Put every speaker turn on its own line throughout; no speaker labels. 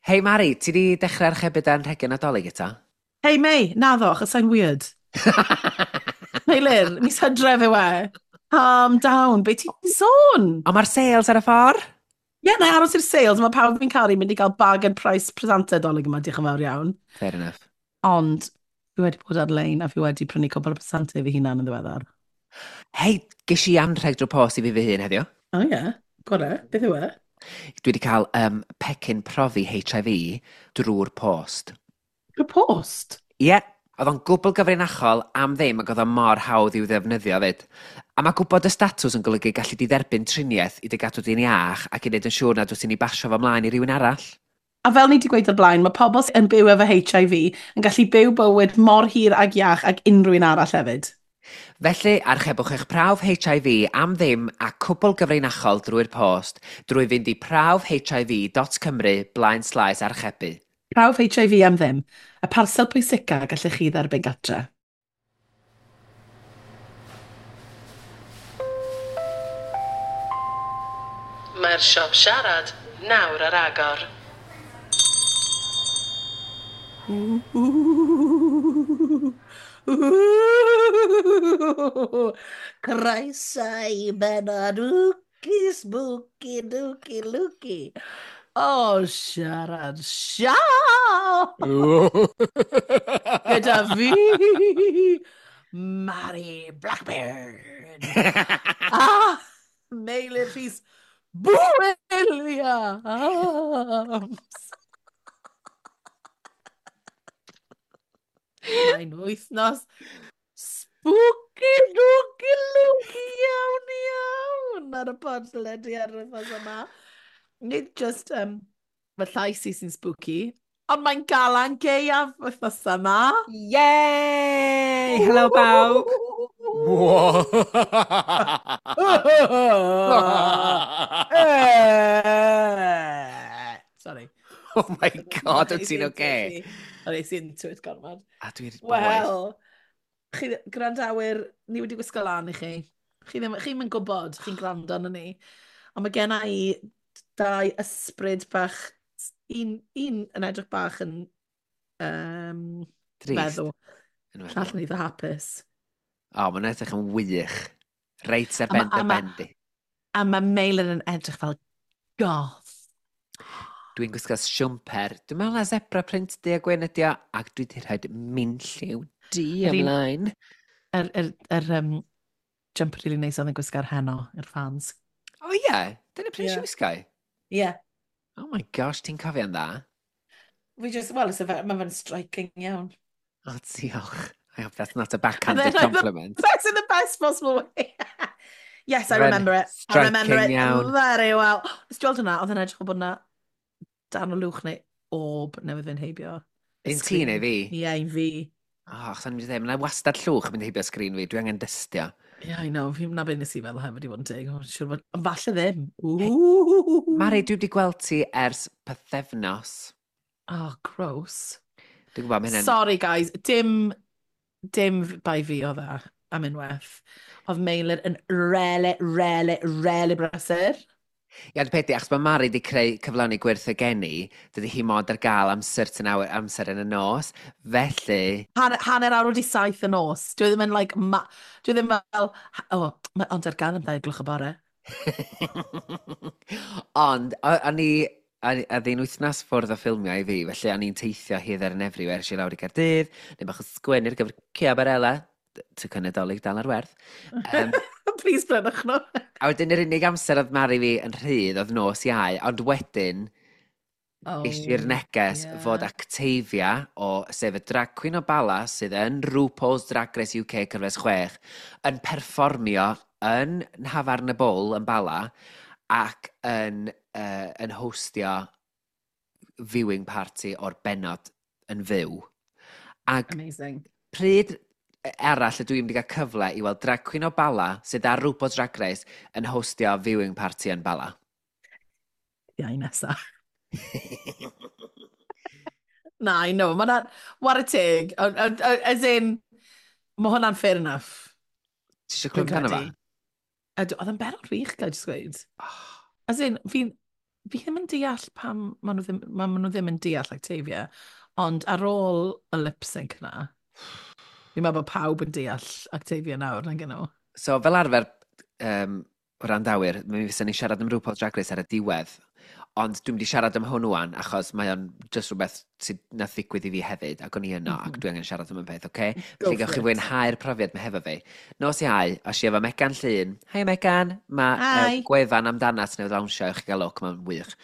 Hei Mari, ti di dechrau archebu dy anrhegion Nadolig eto?
Hei Mei, naddo, achos I'm weird. Meilir, mis Hydref yw e. Calm down, be ti'n sôn?
Ond mae'r sales ar y ffordd?
Ie, yeah, na i aros i'r sales, mae pawb fi'n caru mynd i gael bargain price presentau Dolig yma, diolch yn fawr iawn.
Fair enough.
Ond fi wedi bod ar-lein a fi wedi prynu cwbl o presentau fi hunan yn ddiweddar.
Hei, ges i anrheg drwy post i fi fy hun heddiw.
O oh, ie, yeah. Gore, beth yw e?
Dwi wedi cael pecyn profi HIV drwy'r post.
Drwy'r post?
Ie, yeah, oedd o'n gwbl gyfrinachol am ddim ac oedd o mor hawdd i'w ddefnyddio fyd. A mae gwybod y statws yn golygu gallu di dderbyn triniaeth i dy gadw di'n iach ac i wneud yn siŵr nad wyt ti'n ei basio fo mlaen i rywun arall.
A fel ni wedi gweud o'r blaen, mae pobl sy'n byw efo HIV yn gallu byw bywyd mor hir ag iach ag unrhyw un arall hefyd.
Felly, archebwch eich prawf HIV am ddim a cwbl gyfrinachol drwy'r post drwy fynd i prawfhiv.cymru blaen slaes archebu.
Prawf HIV am ddim. Y parsel pwysica gallech chi dderbyn gatre.
Mae'r siop siarad nawr ar agor.
Croeso i bennod wci spooky dooky looky. O, siarad siop! Gyda fi, Mari Blackbeard. A Meilir Rhys Williams. Mae'n wythnos spooky dooky looky iawn iawn ar y podlediad ar wythnos yma. Nid just fy llais i sy'n spooky, ond mae'n galan gaeaf wythnos yma.
Yay! Hello bawb!
Sorry.
Oh my god, wyt ti'n oce?
O'n i into it gormod.
A dwi'n
Wel, chi gwrandawyr, ni wedi gwisgo lan i chi. Chi ddim, chi'm yn gwybod, chi'n gwrando arno ni. Ond mae genna i dau ysbryd bach, un yn edrych bach yn
feddw.
Llall yn eitha hapus.
O, mae'n edrych yn wych. Reit ar ben dy ben di.
A mae Meilir yn edrych fel goth.
Dwi'n gwisgo siwmper. Dwi'n meddwl na zebra print du a gwyn ydi o, ac dwi wedi rhoi minlliw du ymlaen.
Yr jumper really neis oedd yn gwisgo ar heno, i'r fans.
O ie, yeah. Dyna pryd yeah. wisgo i?
Ie. Yeah.
Oh my gosh, ti'n cofio'n dda?
We just, well, mae fe'n striking iawn.
Oh, diolch. I hope that's not a backhanded compliment.
That's in the best possible way. Yes, I remember it. I remember it
iawn.
Very well. Nes ti weld hwnna? Oedd yn edrych o bod yna dan o lwch neu orb newydd fynd heibio.
Un ti neu fi?
Ie, yeah, un fi.
Oh, achos o'n i'n mynd i ddweud, mae'n wastad llwch yn mynd heibio sgrin fi, dwi angen dystio.
Yeah, I know, fi'n na beth nes i feddwl hefyd i fod yn teg. Siŵr bod, ond falle ddim.
Mari, dwi wedi gweld ti ers pythefnos.
Oh, gross.
Dwi'n gwybod, mae hynny'n...
Sorry, guys, dim bai fi oedd e am unwaith. Oedd Meilir yn rele, rele, rele brysur.
Ie, ond peth di, achos mae Mari wedi creu cyflawni gwyrth y geni, dydy hi mond ar gael am certain hour, amser yn y nos, felly...
Hanner awr wedi 7 y nos. Dwi ddim yn, like, dwi ddim fel, oh, ond ar gael am 2 gloch y bore.
Ond, o'n i, a ddyn wythnos ffwrdd o ffilmiau i fi, felly o'n i'n teithio hither and everywhere, eisiau lawr i Gaerdydd, neu bach o sgwennu ar gyfer Ciabarella, tocyn Nadolig dal ar werth.
Please brynwch nhw.
A wedyn yr unig amser oedd Mari fi yn rhydd oedd nos Iau, ond wedyn ges i'r neges fod Actavia, o, sef y drag queen o Bala, sydd yn RuPaul's Drag Race UK cyfres 6, yn perfformio yn Nhafarn y Bull yn Bala ac yn hostio viewing party o'r bennod yn fyw. Ac
Amazing.
Pryd arall ydw i'n mynd i gael cyfle i weld drag queen o Bala sydd ar RuPaul's Drag Race yn hostio viewing party yn Bala?
Iau nesa. Na, I know. Mae what a teg. As in, mae hwnna'n fair enough.
Ti eisiau clywed amdano fo?
Ydw, oedd yn bennod wych, gael jyst gweud. As in, fi'n Fi ddim yn deall pam maen nhw ddim yn deall Octavia, ond ar ôl y lip sync na, fi'n meddwl bod pawb yn deall Octavia nawr, nag nhw.
So, fel arfer, wrandawyr, mi fysa ni siarad am RuPaul's Drag Race ar y diwedd, ond dwi'n mynd i siarad am hwn wan, achos mae o'n just rhywbeth sydd nath ddigwydd i fi hefyd, ac o'n i yno, ac dwi angen siarad am y peth, oce? Okay?
Go
Felly gewch
for
chi
it.
fwynhau'r profiad mae hefo fi. Nos Iau, os i efo Megan Llun. Hi Megan, mae
Hi.
gwefan amdanat newydd lawnsio i chi gael look, mae'n wych.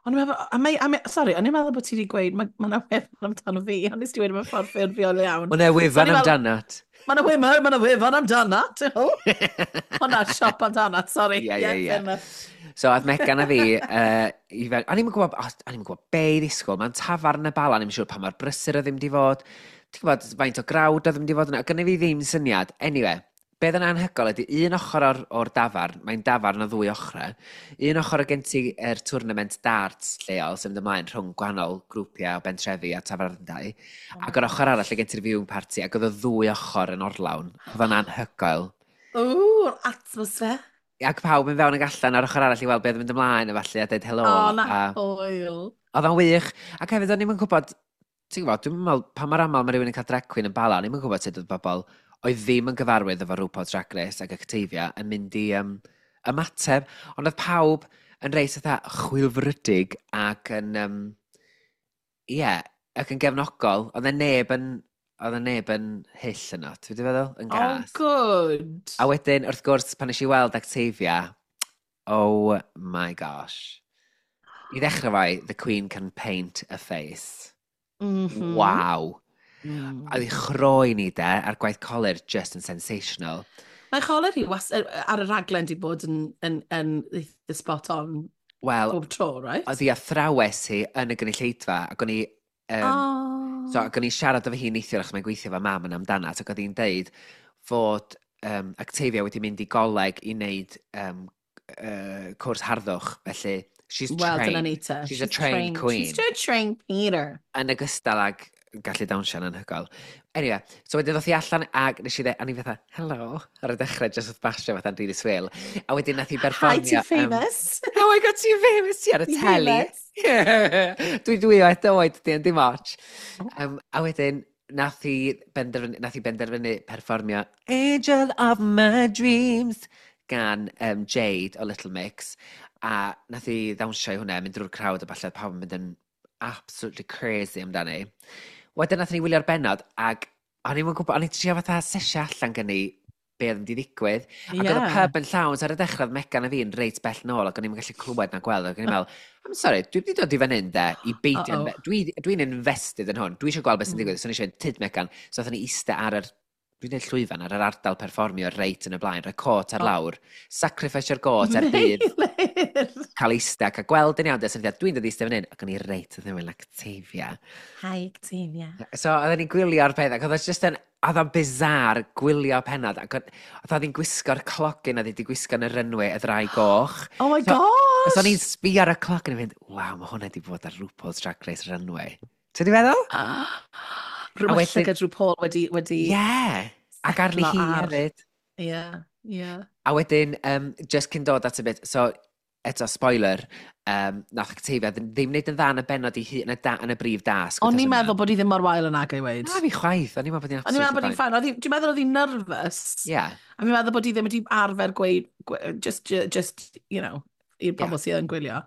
O'n i'n meddwl, a mae, a mae, sorry, o'n i'n meddwl bod ti wedi gweud, mae ma 'na wefan amdano fi, ond nes ti wedi mewn ffordd ffurfiol iawn.
Mae 'na wefan
So o'n i fel-
amdanat.
Mae 'na wefan, ma' 'na wefan amdanat. Hwnna, siop amdanat, sorry.
Ie, ie.
Fair enough.
So, oedd Megan a fi, i fel, o'n i'n gwybod, o'n i'n gwybod be i ddisgwyl, mae'n tafarn y Bala, o'n i'n siŵr pa mor brysur oedd ddim di fod, ti'n gwybod, faint o grawd oedd ddim di fod yna, gynnu fi ddim syniad. Anyway, beth yn anhygoel ydy un ochr o'r dafarn, mae'n dafarn o ddwy ochrau, un ochr o gen ti yr tournament darts lleol sy'n mynd ymlaen rhwng gwahanol grwpiau o bentrefi a tafarndai, ac o'r ochr arall lle gen ti'r viewing party, ac oedd y ddwy ochr yn orlawn. Oedd o'n anhygoel.
Ooh, atmosphere.
Ac pawb yn fewn ag allan ar ochr arall i weld beth yn mynd ymlaen a falle a dweud helo.
O, na,
a
hwyl.
oedd o'n wych. Ac hefyd o'n i'm yn gwybod, ti'n gwybod, dwi'n meddwl, pa mor aml mae rhywun yn cael drag queen yn Bala, o'n i'm yn gwybod sut oedd bobl oedd ddim yn gyfarwydd efo RuPaul's Drag Race ac Octavia yn mynd i ymateb. Ond oedd pawb yn reit fatha chwilfrydig ac yn, ie, yeah, ac yn gefnogol. Oedd e neb yn hyll yno, ti'n wedi feddwl? Yn
Oh,
gas.
good.
A wedyn, wrth gwrs, pan nes i weld Octavia, oh my gosh. I ddechrau fai, the Queen can paint a face. Wow. A oedd ei chroen hi de, a'r gwaith colur just yn sensational.
Mae choler hi ar y raglen di bod yn eitha spot on
Wel,
bob tro, right?
oedd hi athrawes hi yn y gynulleidfa, ac o'n i,
Oh.
so, ac o'n i siarad efo hi neithiwr achos mae'n gweithio efo mam yn amdanat, ac oedd hi'n deud fod Octavia wedi mynd i goleg i wneud cwrs harddwch, felly she's
Wel,
trained.
dyna ni te.
She's a trained queen.
She's a trained Peter.
Yn ogystal ag gallu dawnsio'n anhygoel. Anyway, so wedyn ddoth hi allan ac nes i dweud, a ni fatha, "Hello," ar y dechrau, just wrth basio fatha'n really swil. A wedyn nath hi
Hi,
berfformio.
too famous.
Oh my God, ti'n famous, ti ar y
Ti'n
teli.
famous.
Dwi o oed, di, dim ots. A wedyn, nath hi benderfynu perfformio Angel of My Dreams gan Jade o Little Mix. A nath hi ddawnsio i hwnna, mynd drwy'r crowd a falle, pawb yn mynd yn absolutely crazy amdani. Wedyn nath ni wylio'r bennod, ac o'n i'n gwybod, o'n i'n trio fatha sesio allan gen i be oedd yn mynd i ddigwydd. Ac oedd y pub yn llawn, so ar y dechrau oedd Megan a fi yn reit bell nôl, ac o'n i'n gallu clywed na gweld, ac o'n i'n meddwl, "I'm sorry, dwi wedi dod i fan hyn de, i beidio, dwi'n invested yn hwn, dwi eisiau gweld beth sy'n digwydd," so o'n i eisiau mynd, "Tyd Megan," so oedden ni eistedd ar yr, dwi'n dweud llwyfan, ar yr ardal perfformio reit yn y blaen, rhoi cot ar lawr, sacrifice-io'r got er budd
Meilir.
cael eistedd, a gweld yn iawn, de, so o'n i'n dweud, "Dwi'n dod i eistedd fan hyn," ac o'n i reit yn ymwyl Octavia.
Hi, Octavia.
So oedden ni'n gwylio'r peth, ac oedd o just yn, oedd o'n bizarre gwylio pennod, ac oedd hi'n gwisgo'r clogyn oedd hi wedi gwisgo yn y runway, y ddraig goch.
Oh my
So-
gosh!
So o'n i'n sbio ar y cloc yn mynd, "Waw, mae hwnna wedi bod ar RuPaul's Drag Race runway." Ti'n di feddwl?
Ah.
A
Rhywbeth llygad RuPaul wedi
Ie! Yeah. Ac arni
setlo
hi hefyd.
Ie.
A wedyn, just cyn dod at y bit, so, eto, spoiler, nath Octavia ddim wneud yn dda yn y bennod i hun, yn y, da, yn y brif dasg
O'n
wythnos
i'n
yma.
meddwl bod hi ddim mor wael yn ag i weid.
Na fi chwaith, o'n i'n meddwl bod hi'n
O'n i'n meddwl bod
absolutely
hi'n fine. Dwi'n meddwl oedd hi'n nervous.
fine. Ie.
A fi'n meddwl bod hi ddim wedi arfer gweud, just, i'r pobl sydd yn gwylio.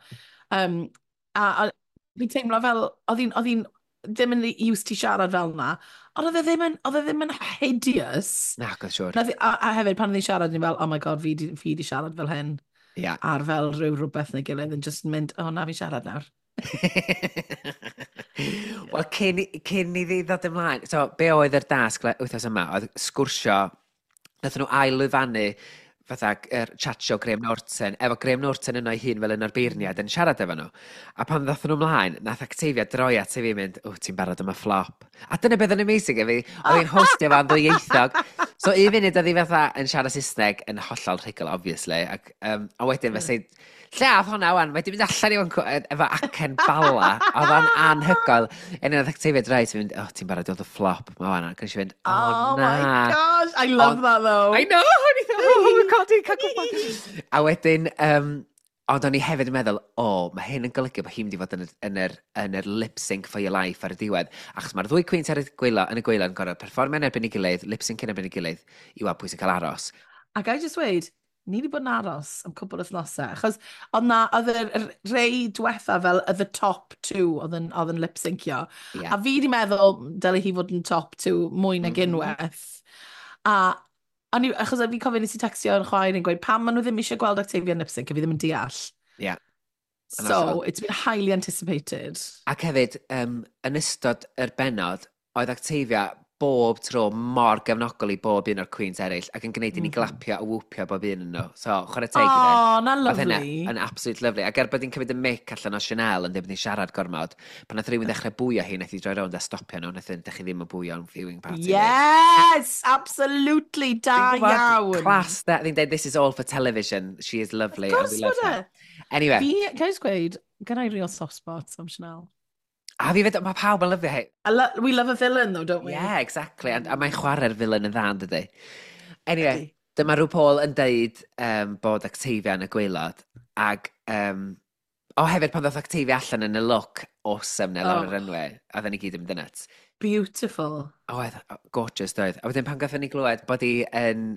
A fi'n teimlo fel, oedd hi'n ddim yn used to siarad fel na, ond oedd e ddim yn hideous.
Na, gwrdd siwr.
A hefyd, pan oedd hi'n siarad, ni'n fel, "Oh my God, fi di siarad fel hyn." Ar fel rhyw rhywbeth neu gilydd yn just mynd, "Oh na, fi'n siarad nawr."
Wel, cyn i ddi ddod ymlaen, so be oedd yr dasg wythnos yma, oedd sgwrsio, nath nhw ail-lwyfannu fatha yr chat show Graham Norton, efo Graham Norton yno ei hun fel un o'r beirniad yn siarad efo nhw. A pan ddoth nhw ymlaen, nath Octavia droi at i fi mynd, "O, ti'n barod am y flop." A dyna beth yn amazing i fi, oedd hi'n hostio fo'n ddwyieithog. So un funud oedd hi fatha yn siarad Saesneg yn hollol rhugl, obviously. Ac, a wedyn fe lle ath hwnna wan, mae di mynd allan i wan efo acen Bala, oedd o'n anhygoel. Un oedd Octavia droi at fi mynd, "Oh, ti'n barod i weld y flop ma wan." Ac o'n i eisiau fynd, "Oh,
Oh
na."
my gosh, I love
Ond-
that though.
I know, o'n i oh my God, dwi'n cael gwybod. A wedyn, Ond o'n i hefyd yn meddwl, o, mae hyn yn golygu bod hi'n mynd i fod yn yr lip sync for your life ar y diwedd. Achos mae'r ddwy queens ar y gwaelod, yn y gwaelod yn gorfod perfformio yn erbyn ei gilydd, lip sync yn erbyn ei gilydd, i weld pwy sy'n cael aros.
A ga i just weud, ni wedi bod yn aros am cwpl o wythnosau, achos oedd na, oedd yr rei diwetha fel the top two oedd yn lip-syncio. A fi wedi meddwl, dyle hi fod yn top two mwy nag unwaith. A o'n i, achos fi'n cofio nes i textio yn chwaer yn gweud, pam maen nhw ddim eisiau gweld Octavia yn lip-sync, a fi ddim yn deall.
Yn
So,
hollol.
it's been highly anticipated.
Ac hefyd, yn ystod yr bennod, oedd Octavia bob tro mor gefnogol i bob un o'r queens eraill ac yn gwneud i ni glapio a whoopio bob un yn nhw. So, chwarae teg iddi.
Oh, na
Oedd hynna
lovely.
yn absolute lovely. Ac er bod hi'n cymryd y mic allan o Chanel yn dweud bod hi'n siarad gormod, pan nath rhywun ddechrau bwio hi, nath hi droi rownd a stopio nhw, nath hi, "Dych chi ddim yn bwio yn viewing party fi."
Yes, absolutely, da
Dwi'n gwbod,
iawn.
class, da. Fi'n dweud, "This is all for television. She is lovely
Of
and
course
we love
bod
her."
e.
Anyway,
Fi, can I just gweud, gen i real soft spot am Chanel.
A fi fed, mae pawb yn lyfio hi.
We love a villain though, don't we?
Yeah, exactly. A mae'n chwarae'r villain yn dda, yn dydi? Anyway,
Ydi.
dyma RuPaul yn deud bod Octavia yn y gwaelod. Ac, o hefyd pan ddoth Octavia allan yn y look awesome 'na lawr
Oh.
yr runway, a oedden ni gyd yn mynd yn nuts.
Beautiful.
Oedd, oh, gorgeous doedd. A wedyn pan gathon ni glywed bod hi yn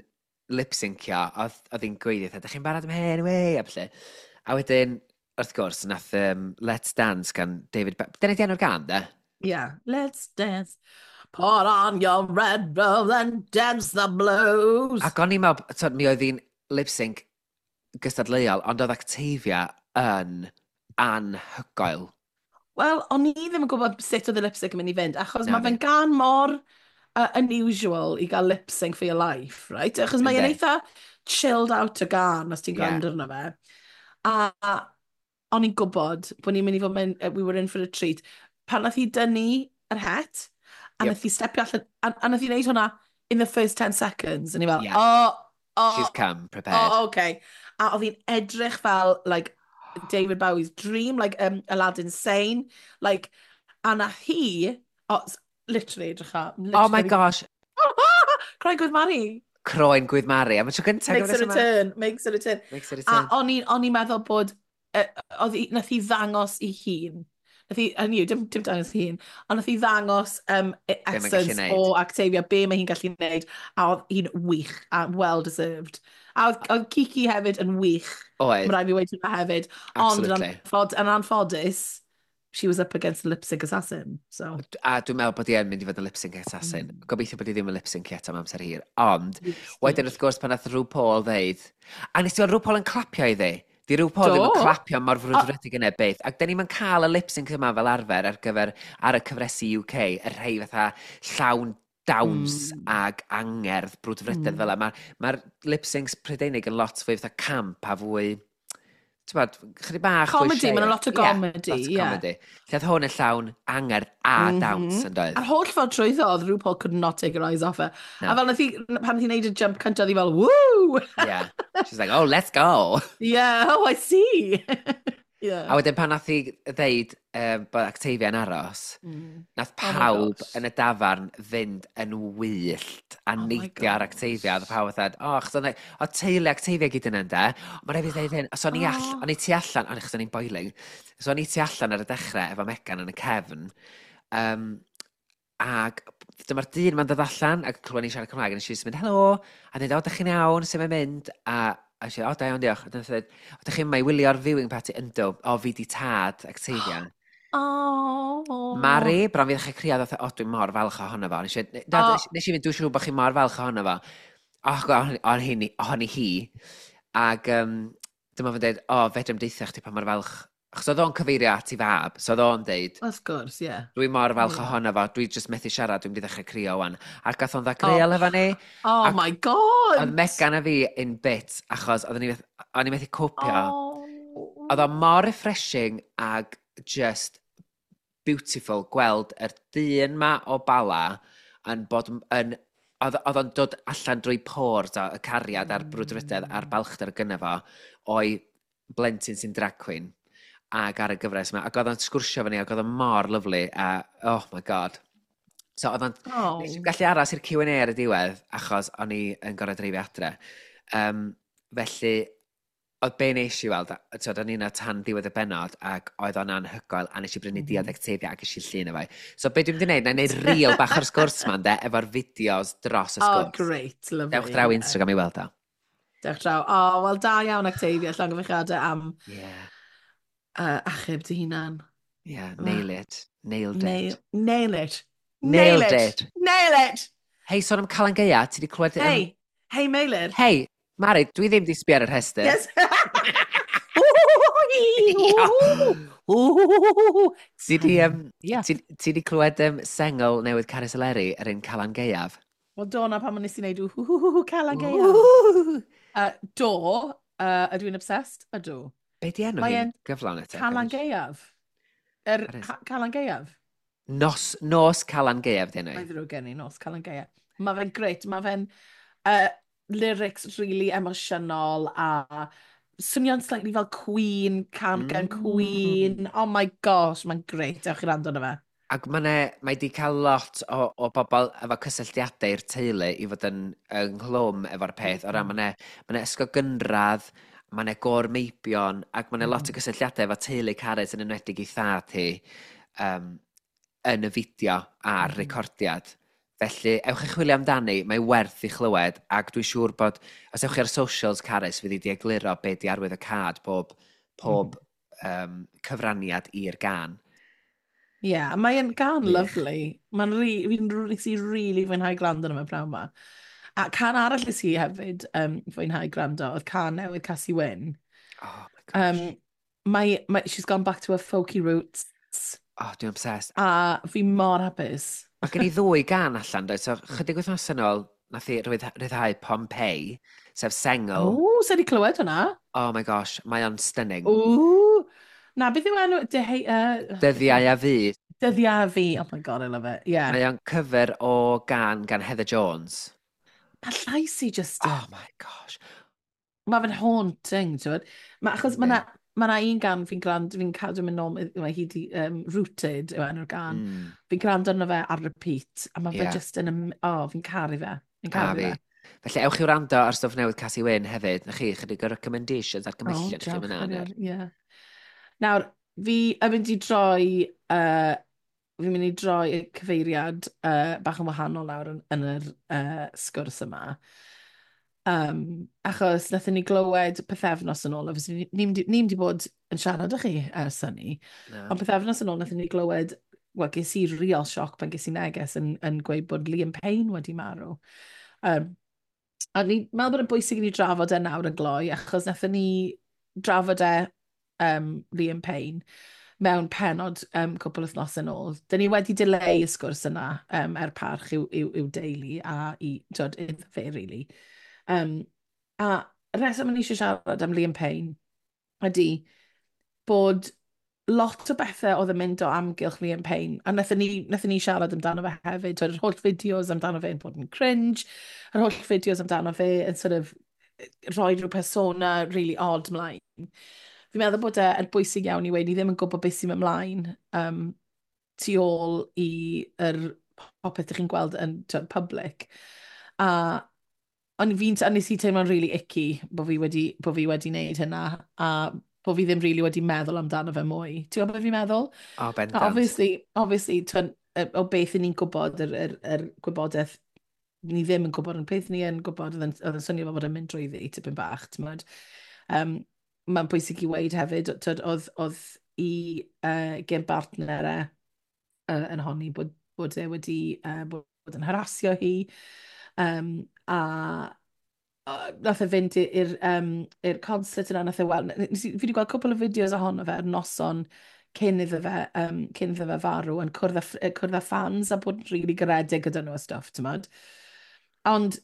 lip-syncio, oedd hi'n gweiddi, "Ydych chi'n barod am hyn, wei," a felly. A wedyn, wrth gwrs, nath Let's Dance gan David. Dyna di enw'r gân, de?
Yeah. Let's dance. Put on your red robe and dance the blues.
Ac o'n i'n meddwl, t'od, mi oedd hi'n lip-sync gystadleuol, ond oedd Octavia yn anhygoel.
Wel, o'n i ddim yn gwybod sut oedd y lip sync yn mynd i fynd, achos
Na
mae fe'n
fi.
gân mor unusual i gael lip sync for your life, right? Achos mae'n
Yndi.
eitha chilled out o gân os ti'n gwrando arno fe. A o'n i'n gwybod bod ni'n mynd i fod mewn, we were in for a treat. Pan nath hi dynnu yr het, a nath hi stepio allan, a nath hi wneud hwnna in the first 10 seconds, a ni fel, oh,
She's come prepared.
Oh, okay. A oedd hi'n edrych fel, like, David Bowie's dream, like Aladdin Sane. Like, a nath hi, oh, literally, edrych ar.
Oh my gosh,
Croen Gwydd Mari.
Croen Gwydd Mari. Am y tro gyntaf.
Makes a return, makes a return.
Makes a
A
return.
o'n i'n meddwl bod, oedd hi, nath hi ddangos i hun. Nath hi, hynny yw, dim dangos i hun, ond nath hi ddangos
mae'n gallu
essence
neud.
o Octavia, be mae hi'n gallu neud, a oedd hi'n wych, a well deserved. A oedd Kiki hefyd yn wych.
Oedd,
Mae rhaid fi weud hwnna hefyd. Ond yn, yn anffodus, she was up against the lip sync assassin. So.
A dwi'n meddwl bod hi yn mynd i fod yn lip sync assassin. Gobeithio bod hi ddim yn lip sync eto am amser hir. Ond, wedyn wrth gwrs pan nath RuPaul ddeud... A nes ti weld RuPaul yn clapio iddi? Di RuPaul ddim yn
Do.
clapio mor frwdfrydig yna beth. Ac da ni'n cael y lip sync yma fel arfer ar gyfer ar y cyfresi UK, y rhai fatha llawn dawns ag angerdd brwdfrydedd fel yma. Mae'r lip syncs Prydeinig yn lot fwy fatha camp a fwy, ti'n bod, chydig bach fwy
Comedy, ma' 'na lot o
Ie,
comedy,
lot o
ie.
comedy. Lle oedd hwn yn llawn angerdd a dawns yn doedd.
A'r holl ffordd trwyddo, oedd RuPaul could not take her eyes off her.
No.
A fel nath hi, pan nath hi wneud y jump cyntaf, oedd hi fel, "Woo!"
Yeah. She's like, "Oh, let's go."
Yeah, oh, I see. Yeah.
A wedyn pan nath hi ddeud bod Octavia yn aros, nath
Oh my
pawb
gosh.
yn y dafarn fynd yn wyllt a
Oh my
neidio ar
gosh.
Octavia. Oedd pawb fatha, oh, achos oedd teulu Octavia gyd yna, ynde? Mae'n rhaid i fi ddeud hyn, so o'n i o'n i tu allan, o'n achos o'n i'n boiling, so o'n i tu allan ar y dechrau efo Megan yn y cefn, ac dyma'r dyn ma'n dod allan ac clywed ni'n siarad Cymraeg, a nes i jyst mynd, "Helo," a dweud, "O, dych chi'n iawn, sut mae'n mynd?" A si, "O, da iawn, diolch." A dyna dweud, "O, dych chi'n yma i wylio'r viewing party?" "Yndw, o, fi di tad Octavia."
Oh.
Mari, bron fi ddechrau crio, ddoth, "O, dwi'n mor falch ohono fo." Nes i, na, nes i fynd, "Dwi'n siŵr bod chi mor falch ohono fo." O, ohoni hi. Ac dyma fo'n dweud, "O, fedrai'm deutha chdi pa mor falch." Achos oedd o'n cyfeirio at ei fab, so oedd o'n deud,
Of course, yeah.
"Dwi mor falch ohono fo, dwi jyst methu siarad, dwi'n mynd i ddechrau crio wan." Ac gath o'n ddagreuol efo ni.
Oh
Ac
my God!
oedd Megan a fi in bits, achos oedden ni, o'n i methu copio.
Oh.
Oedd o mor refreshing ag just beautiful gweld yr dyn ma o Bala yn bod yn oedd o'n dod allan drwy pores o y cariad a'r brwdfrydedd a'r balchder gynna fo o'i blentyn sy'n drag queen ag ar y gyfres yma. Ac oedd o'n sgwrsio efo ni ac oedd o'n mor lyfli a oh my God. So oedd o'n Nes i'm gallu aros i'r Q&A ar y diwedd, achos o'n i yn gorfod dreifio adre. Felly, Oedd be nes i weld, twyd, o'n i'n tan ddiwedd y benod, ac oedd o'n anhygoel, a nes i brynu diod Actavia ac eisiau llun efo. So be dwi'n mynd i wneud, na i wneud reel bach o'r sgwrs ma, ynde, efo'r fideos dros y
Oh,
sgwrs.
Great, lovely.
Dewch draw Instagram i weld o.
Dewch draw. Oh, wel, da iawn Actavia, llongyfarchiadau am achub dy hunan.
Yeah, nail it. Nailed it.
Nail it.
Nailed it.
Nail it!
Hei, sôn am Calan Gaea, ti wedi clywed...
Hei, hei Meilir.
Hei, Mari, dwi ddim di sbio ar y rhestr.
Yes.
Ti di,
Yeah.
ti di clywed sengl newydd Carys Eleri, yr un Calan Gaeaf?
Wel, do na pan nes i wneud whoo Calan Gaeaf.
Ww.
Do, ydw i'n obsessed? Ydw.
Be di enw
Mae
hi'n
e'n
gyflawn eto?
Calan Gaeaf.
Carys.
Calan Gaeaf.
Nos Calan Gaeaf di enw
Mae
hi.
ddrwg gen i, nos Calan Gaeaf. Mae fe'n great, mae fe'n lyrics really emosiynol a swnio'n slightly fel Queen, can gan Queen. Oh my gosh, mae'n great. Dewch i wrando arno fe.
Ac mae di cael lot o bobl efo cysylltiadau i'r teulu i fod yn ynghlwm efo'r peth. O ran, mae 'ne ysgol gynradd, mae 'ne gôr meibion, ac mae 'ne lot o gysylltiadau efo teulu Carys yn enwedig ei thad hi yn y fideo a'r recordiad. Felly, ewch i chwilio amdani, mae werth i chlywed, ac dwi'n siŵr bod, os ewch chi ar socials Carys, fydd hi di egluro be di arwydd y cad pob cyfraniad i'r gan.
Ie, yeah, mae'n gan
Wych.
lovely. Mae'n fi'n nes i really fwynhau gwrando arno fe pnawn 'ma. A can arall nes i hefyd fwynhau gwrando oedd can newydd Casi Wyn.
Oh my gosh.
Mae, she's gone back to her folky roots.
Oh, dwi'n obsessed.
A fi mor hapus.
Mae gen i ddwy gan allan, doedd? So, chydig wythnos yn ôl, nath i ryddhau Pompeii, sef sengl.
O, sa di clywed hwnna?
Oh my gosh, mae o'n stunning.
O, na, beth yw enw?
Dyddiau a Fi.
Dyddiau a Fi. Oh my God, I love it. Yeah.
Mae o'n cover o gan gan Heather Jones.
Mae llais i just.
Oh my gosh.
Mae fe'n haunting, ti'n gwbod? Achos mae
Yndi.
na, ma na un gan fi'n gwrando, fi'n cadw mynd nôl, mae hi di, Rooted yw enw'r gan. Fi'n gwrando arno fe ar repeat, a mae fe just yn, oh, fi'n caru fe. Fi'n
A
caru
fi.
fe.
Felly, ewch i wrando ar stwff newydd Casi Wyn hefyd. Na chi, chydig o recommendations ar
Oh,
gymhellion i chi
diolch,
fyna.
Arian, ie. Nawr, fi'n mynd i droi y cyfeiriad bach yn wahanol nawr yn yr sgwrs yma. Achos nathon ni glywed pythefnos yn ôl, obviously ni'm di bod yn siarad â chi ers hynny,
Na.
ond pythefnos yn ôl nathon ni glywed, wel, ges i real sioc pan ges i neges yn gweud bod Liam Payne wedi marw. A ni'n meddwl bod yn bwysig i ni drafod e nawr yn gloi, achos nathon ni drafod e Liam Payne mewn penod cwpl wythnos yn ôl. Dyn ni wedi dileu y sgwrs yna er parch i'w deulu a i, twod, iddo fe, really. A y reswm o'n i eisiau siarad am Liam Payne ydy bod lot o bethau oedd yn mynd o amgylch Liam Payne, a nathon ni siarad amdano fe hefyd, twod, yr holl fideos amdano fe yn bod yn cringe, yr holl fideos amdano fe yn sort of rhoi rhyw persona really odd mlaen. Fi'n meddwl bod e yn bwysig iawn i weud, ni ddim yn gwybod beth sy'n mynd mlaen tu ôl i yr popeth ydych chi'n gweld yn twod, public. A ond fi'n, a nes i teimlo'n really icky bod fi wedi wneud hynna, a bod fi ddim really wedi meddwl amdano fe mwy. Ti'n gwybod beth fi'n meddwl?
O,
A
bendant.
obviously, tw'n, o beth ni'n gwybod, yr gwybodaeth ni ddim yn gwybod, ond peth ni yn gwybod, oedd yn swnio fel bod yn mynd drwyddi tipyn bach, ti'n gwbod. Mae'n bwysig i weud hefyd, twyd, oedd i gen bartner e yn honni bod e wedi bod yn harasio hi, a nath e fynd i'r concert yna, nath e weld, fi wedi gweld cwpl o fideos ohono fe ar noson cyn iddo fe farw, yn cwrdd â fans a bod yn rili garedig gyda nhw a stuff, ti'n gwbod. Ond,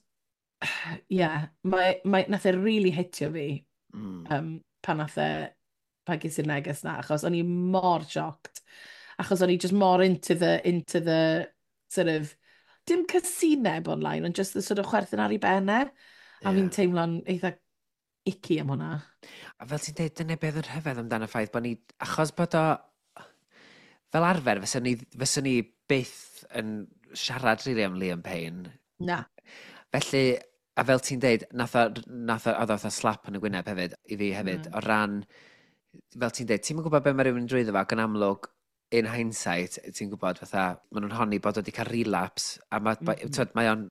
ie, yeah, mae, nath e really hitio fi pan nath e, pan ges i'r neges na, achos o'n i mor shocked. Achos o'n i just mor into the sort of, dim casineb online, ond just the sort of chwerthin ar ei benne. A fi'n teimlo'n eitha icky am hwnna.
A fel ti'n dweud, dyna beth yn rhyfedd amdano ffaith bod ni, achos bod o, fel arfer, fyswn ni byth yn siarad really am Liam Payne.
Na.
Felly, A fel ti'n deud, nath o, oedd o fatha slap yn y gwyneb hefyd, i fi hefyd, o ran, fel ti'n deud, ti'n gwybod be mae rhywun yn drwyddo fo, ac yn amlwg, in hindsight, ti'n gwybod, fatha, maen nhw'n honni bod o wedi cael relapse, a mae, mae o'n,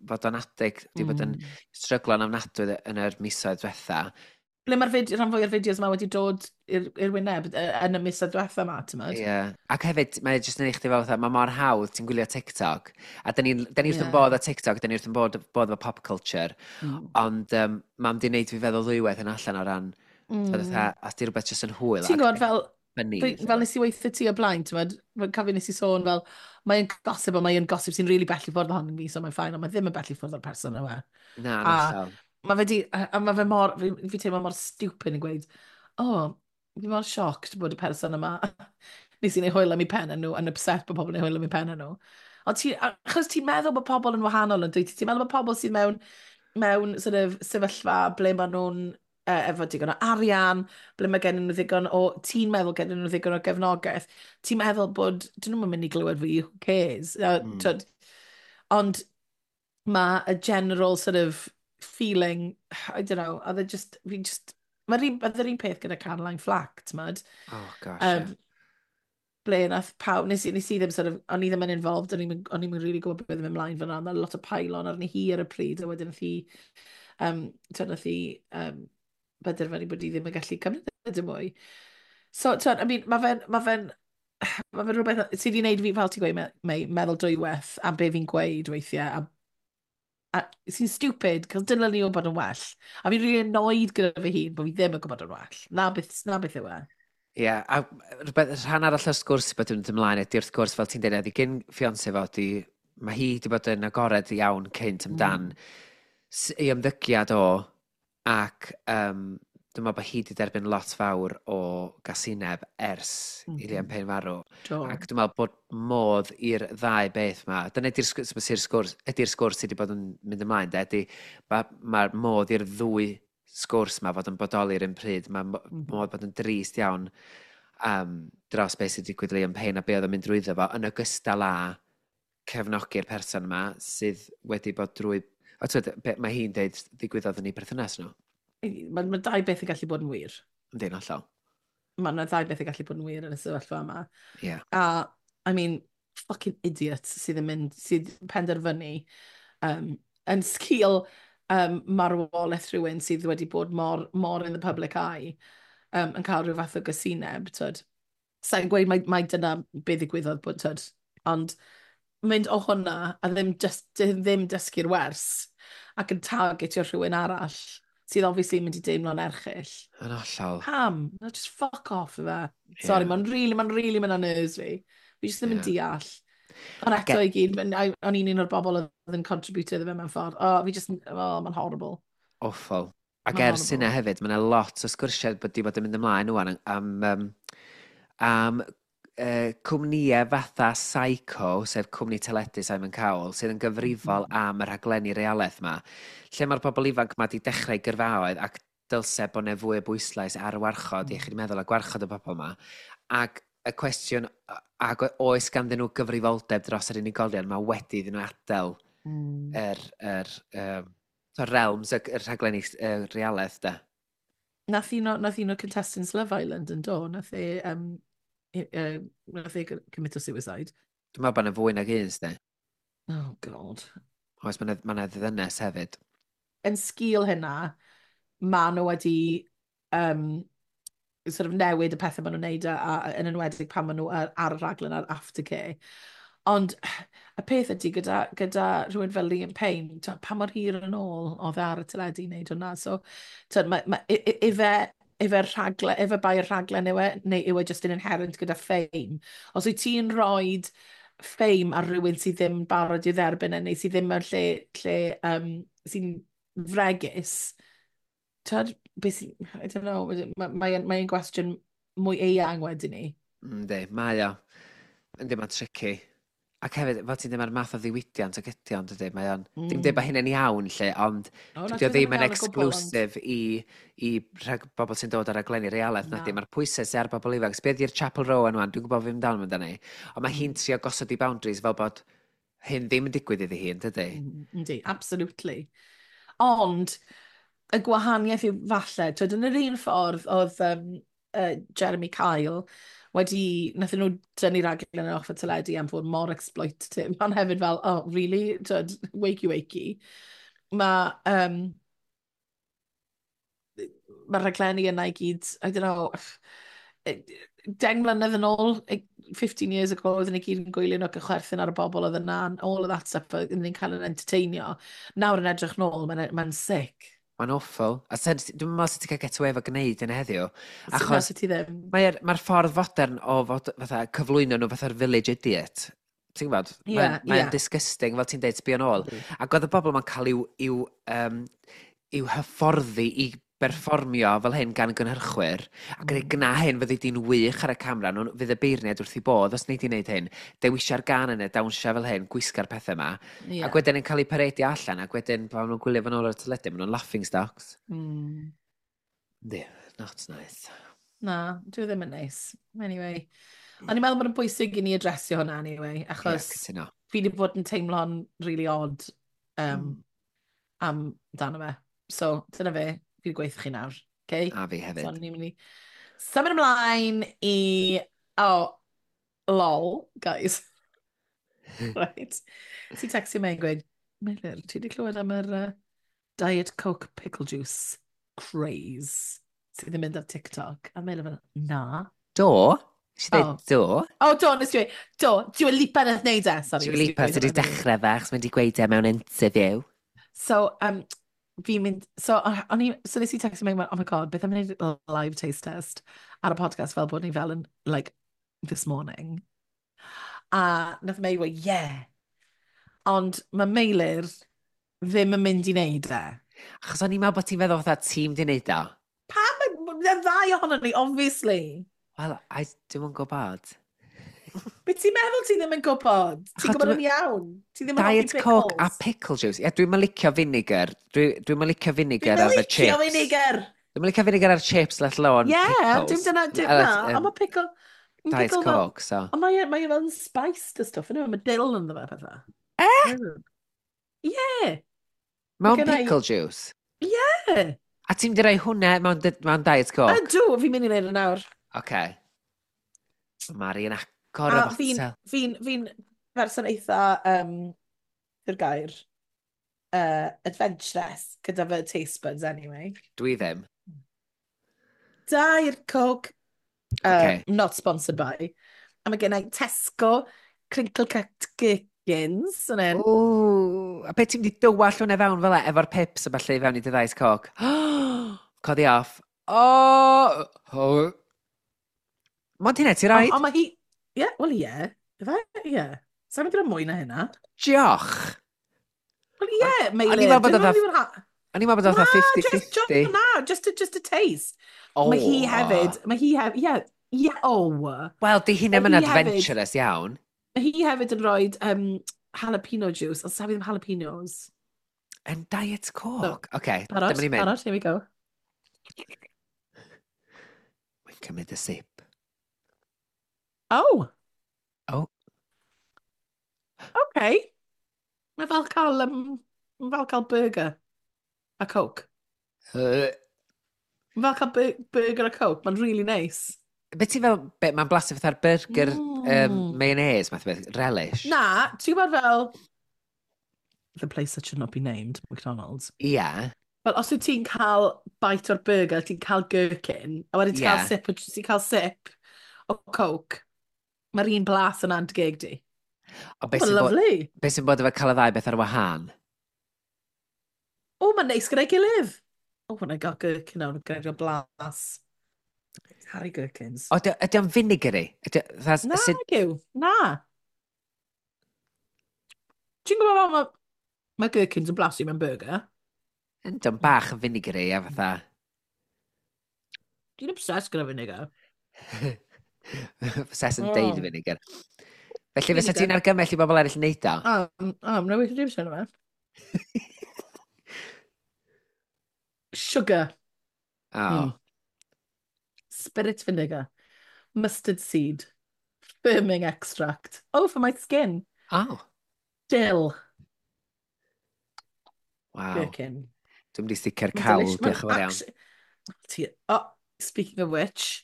fod o'n addict, wedi bod yn stryglo'n ofnadwy yn yr misoedd diwetha.
Ble mae'r fideo, rhan fwy o'r fideos yma wedi dod i'r wyneb yn y misoedd diwetha yma, ti'n gwbod?
Ie. Yeah. Ac hefyd, mae jyst yn eich chdi fel fatha, mae mor hawdd, ti'n gwylio TikTok, a da ni wrth yn bodd â TikTok, da ni wrth yn bodd efo pop culture, ond mae'n di wneud fi feddwl ddwywaith yn allan o ran, fatha, os di rhywbeth jyst yn hwyl.
Ti'n gwybod, fel, funny, fel nes i weithio ti o blaen, ti'n gwbod, fel cofio nes i sôn fel, mae'n gossip, ond mae'n gossip sy'n really bell i ffwrdd ohono fi, so mae'n fine, ond mae ddim yn bell i ffwrdd o'r person yma.
Na, na.
Mae fe di, a mae fe mor, fi teimlo mor stupid yn gweud, "Oh, fi mor shocked bod y person yma, nes i wneud hwyl am eu pen nhw, yn upset bod pobl yn neud hwyl am eu pen nhw." Ond ti, achos ti'n meddwl bod pobl yn wahanol yn dweud, ti'n meddwl bod pobl sydd mewn sort of sefyllfa ble maen nhw'n efo digon o arian, ble mae gen nhw ddigon o, ti'n meddwl gen nhw ddigon o gefnogaeth, ti'n meddwl bod, dyn nhw'n mynd i glywed fi, who cares? Twyd, ond mae a general sort of feeling, I don't know, oedd e just, fi just, oedd yr un peth gyda Caroline Flack, ti'n
Oh gosh, yeah.
Ble nath pawb, nes i ddim sort of, o'n i ddim yn involved, o'n i'm yn really gwybod beth oedd yn mynd ymlaen fyna, ond lot o pile-on arni hi ar y pryd, a wedyn nath hi, twyd, nath hi benderfynu bod hi ddim yn gallu cymryd e dim mwy. So, twyd, I mean, mae fe'n rhywbeth sydd wedi gwneud fi, fel ti'n gweud, meddwl dwywaith am be fi'n gweud weithiau, a sy'n stupid, cos dyna ni o bod yn well. A fi'n really annoyed gyda fy hun bod fi ddim yn gwybod yn well. Na beth yw e.
Ie, yeah, a rhywbeth, rhan arall o'r sgwrs sydd bod yn mynd ymlaen ydy wrth gwrs, fel ti'n dweud, ydy gyn fiancé fo, di, mae hi wedi bod yn agored iawn cynt amdan ei ymddygiad o, ac dwi'n meddwl bod hi wedi derbyn lot fawr o gasineb ers i Liam Payne farw.
Do.
Ac dwi'n meddwl bod modd i'r ddau beth ma, dyna ydy'r sgwrs, ydy'r sgwrs sydd wedi bod yn mynd ymlaen, de, ydy ma modd i'r ddwy sgwrs ma fod yn bodoli yr un pryd. Mae modd bod yn drist iawn dros beth sydd wedi digwydd i Liam Payne a be oedd yn mynd drwyddo fo, yn ogystal â cefnogi'r person yma sydd wedi bod drwy. O, twyd, be mae hi'n deud ddigwyddodd yn ei perthynas nhw.
Mae dau beth yn gallu bod yn wir.
Ynddi'n hollol.
Mae yna ddau beth yn gallu bod yn wir yn y sefyllfa yma.
Ie.
A, I mean, fucking idiot sydd yn mynd, sydd yn penderfynu yn sgil marwolaeth rhywun sydd wedi bod mor, mor in the public eye, yn cael rhyw fath o gysineb, twyd. Sa'n gweud mai dyna be ddigwyddodd bod, twyd, ond mynd o hwnna a ddim, just, ddim dysgu'r wers ac yn targetio rhywun arall sydd obviously yn mynd i deimlo'n erchyll.
Yn hollol.
Pam? No, just fuck off efe. Sorry, mae'n really mynd ar nerves fi. Fi jyst ddim yn deall. Ond eto i gyd, o'n i'n un o'r bobl oedd yn contributio iddo fe mewn ffordd. Oh, fi just, oh, mae'n horrible.
Awful. Ac
Ma'n
ers hynna
horrible.
hefyd, mae yna lot o sgwrsiau bod di bod yn mynd ymlaen ŵan am cwmnïau fatha Syco, sef cwmni teledu Simon Cowell, sydd yn gyfrifol am y rhaglenni realaeth ma, lle mae'r bobl ifanc ma di dechrau gyrfaoedd ac dylse bod yna fwy o bwyslais ar warchod iechyd meddwl a gwarchod y bobl ma. Ac y cwestiwn, ac oes ganddyn nhw gyfrifoldeb dros yr unigolion ma wedi iddyn nhw adael yr realms, y rhaglenni realaeth, da.
Nath un o contestants Love Island yn do, nath e commit o suicide.
Dwi'n meddwl bod yna fwy nag un, sdi.
Oh, God.
Oes, mae yna ddynes hefyd.
Yn sgil hynna, ma nhw wedi sort of newid y pethau maen nhw'n neud a yn enwedig pan maen nhw ar y rhaglen ar aftercare. Ond y peth ydy gyda rhywun fel Liam Payne, t'wod, pa mor hir yn ôl oedd e ar y teledu i wneud hwnna. So, t'wod, ife rhaglen, ife bai'r rhaglen yw e, neu yw e just yn inherent gyda fame? Os wyt ti'n rhoi fame ar rhywun sydd ddim yn barod i dderbyn e, neu sydd ddim mewn lle sy'n fregus, t'wod, beth sy'n, I don't know, mae gwestiwn mwy eang wedyn ni.
Yndi, mae o. Yndi, mae'n tricky. Ac hefyd, fel ti'n dweud, mae'r math o ddiwydiant ag ydi ond ydy, mae o'n dim dweud bod hynny'n iawn, lle, ond
O, na,
dydy o
dwi
ddim yn
iawn o gwbl, ond
exclusive i bobl sy'n dod ar raglenni realaeth,
Na.
nadi. Mae'r pwysau sydd ar bobl ifanc. Be di'r Chappell Roan wan, dwi'n gwybod fi amdano amdani. Ond mae hi'n trio gosod i boundaries fel bod hyn ddim yn digwydd iddi hi, yn dydy?
Yndi, absolutely. Ond, y gwahaniaeth yw falle, twyd, yn yr un ffordd oedd Jeremy Kyle wedi, nathyn nhw dynnu raglen off y teledu am fod mor exploitative, ond hefyd fel, oh, really? Twyd, wakey wakey. Mae ma rhaglenni yna i gyd, I don't know, 10 mlynedd yn ôl, 15 years ago, oedden ni gyd yn gwylio nhw ac yn chwerthin ar y bobl oedd yna, and all of that stuff, oedden ni'n cael yn entertainio. Nawr yn edrych nôl, mae'n mae sick.
Mae'n awful. A sen, dwi'n meddwl sut ti'n cael get away efo gwneud yn heddiw.
Achos sut ti ddim.
Mae'r mae ffordd fodern o fod, fatha, cyflwyno nhw fatha'r village idiot. Ti'n gwybod?
Ie,
Mae'n mae
ie.
disgusting, fel ti'n deud, sbio nôl. Ac oedd y bobl ma'n cael i'w hyfforddi i berfformio fel hyn gan gynhyrchwyr. Ac yn gna hyn fyddi di'n wych ar y camera, nhw, fydd y beirniad wrth i bodd os wnei di wneud hyn. Dewisia'r gan yna, dawnsio fel hyn, gwisga'r pethau yma. Ac wedyn yn cael eu paredio allan, ac wedyn pan nhw'n gwylio fan ôl ar y teledu, maen nhw'n laughing stocks. Yndi, not nice.
Na, dwi ddim yn neis. Anyway. O'n i'n meddwl bod yn bwysig i ni adresio hwnna anyway, achos
Ie, cytuno.
fi wedi bod yn teimlo'n really odd am dano fe. So, dyna fe, fi wedi gweithio chi nawr. Okay?
A fi hefyd.
So, ni'n mynd i symud ymlaen i... Oh, lol, guys. Right. Ti textio mewn gweud, "Meilir, ti wedi clywed am yr Diet Coke pickle juice craze sydd yn mynd ar TikTok?" A Meilir fel, "Na."
Do? Nes i dweud
Oh.
do?
Oh, do, nes i dweud, do, Dua Lipa nath wneud e. Sorry.
Dua
Nes i
Lipa
dweud
sydd wedi
hwnna.
dechrau fe, achos mae wedi gweud e mewn interview.
So, fi'n mynd, so, o'n i, so nes i textio mewn, "Oh my God, beth am wneud live taste test ar y podcast fel bod ni fel yn, like, this morning?" A nath Mei weud, "Yeah." Ond mae Meilir ddim yn mynd i wneud e.
Achos o'n i'n meddwl bod ti'n feddwl fatha tîm di wneud o.
Pam? Y ddau ohonon ni, obviously.
Wel, dwi'm yn gwybod.
Be ti'n meddwl ti ddim yn gwybod? Ti'n
Achos
gwybod yn iawn. Ti ddim yn hoffi
Diet Coke a
pickles.
pickle juice. Ie, dwi'n licio vinegar. Dwi'n licio vinegar
Dwi'n
ar y
licio
chips.
vinegar.
Dwi'n licio vinegar ar chips, let alone
Yeah,
pickles.
dim dyna, dim na. Ond mae pickle...
Diet
pickle fel-
Coke, so.
Ond mae e fel yn spiced a stuff, ynddo? Mae dill ynddo fe pethau.
Eh?
Yeah.
Mewn
gynna i-
pickle juice?
Yeah.
A ti'n mynd i roi hwnna mewn Diet Coke?
Ydw, fi'n mynd i wneud e nawr.
Oce. Mari yn agor y
A fi'n
botel.
fi person eitha, yw'r gair, adventurous gyda fy taste buds anyway.
Dwi ddim.
Diet Coke,
Ocê.
not sponsored by. A mae gen i Tesco crinkle cut gherkins yn hyn.
Ww, a beth ti'n mynd i dywall hwnna fewn fel e, efo'r pips a falle i fewn i dy Diet Coke? Codi off. O! Oh! Mond hynna ti roid?
Ond mae hi... Ie, wel ie. Ife? Ie. Sa'n mynd i roi mwy na hynna?
Diolch!
Wel ie, Meilir.
O'n i'n meddwl bod
Dwi'n
oedd
meddwl bod ha-
O'n i'n meddwl bod oedd
Na,
50-50.
just, na, just a taste.
Oh.
Mae hi hefyd, mae hi hefyd, ie, ie, oh.
Wel, di hynna
Mae
yn
hi hefyd-
adventurous iawn.
Mae hi hefyd yn rhoi jalapeno juice, ond safi ddim jalapenos.
Yn Diet Coke. Oce,
Barod,
dyma ni'n mynd.
barod, here we go.
Mae'n cymryd y sip.
Oh.
Oh.
Okay. Mae fel cael, mae fel cael burger a Coke. Mae fel cael burger a Coke. Mae'n really nice.
Be ti fel, be, mae'n blasu fatha'r burger mayonnaise, math o beth, relish.
Na, ti'n gwybod fel... The place that should not be named, McDonald's.
Ia.
Fel, os wyt ti'n cael bite o'r burger, ti'n cael gherkin, a wedyn ti'n cael sip, ti'n cael sip o Coke, mae'r un blas yna'n dy geg di.
O, beth
Mae'n
sy'n bod,
lovely.
be sy'n bod efo cael y ddau beth ar wahân?
O, mae'n neis gyda'i gilydd. Oh, when I got gherkin nawr, gyda'r blas. Harry Gherkins.
O, ydy o'n vinegary? Ydy,
Na, yw. Na. Ti'n gwybod fel mae gherkins yn blasu mewn burger?
Ydy o'n bach yn vinegary a fatha...
Dwi'n obsessed gyda vinegar.
Obsessed yn deud
Oh.
vinegar. Felly fysa
Vinegar.
ti'n argymell i bobl eraill wneud o?
Na, weithio dim sy'n yma. Sugar.
O.
Spirit vinegar. Mustard seed. Firming extract. Oh, for my skin.
Oh.
Dill.
Wow.
Gherkin.
Dwi'n mynd i sticio'r cawl, diolch yn fawr iawn.
Oh, speaking of which,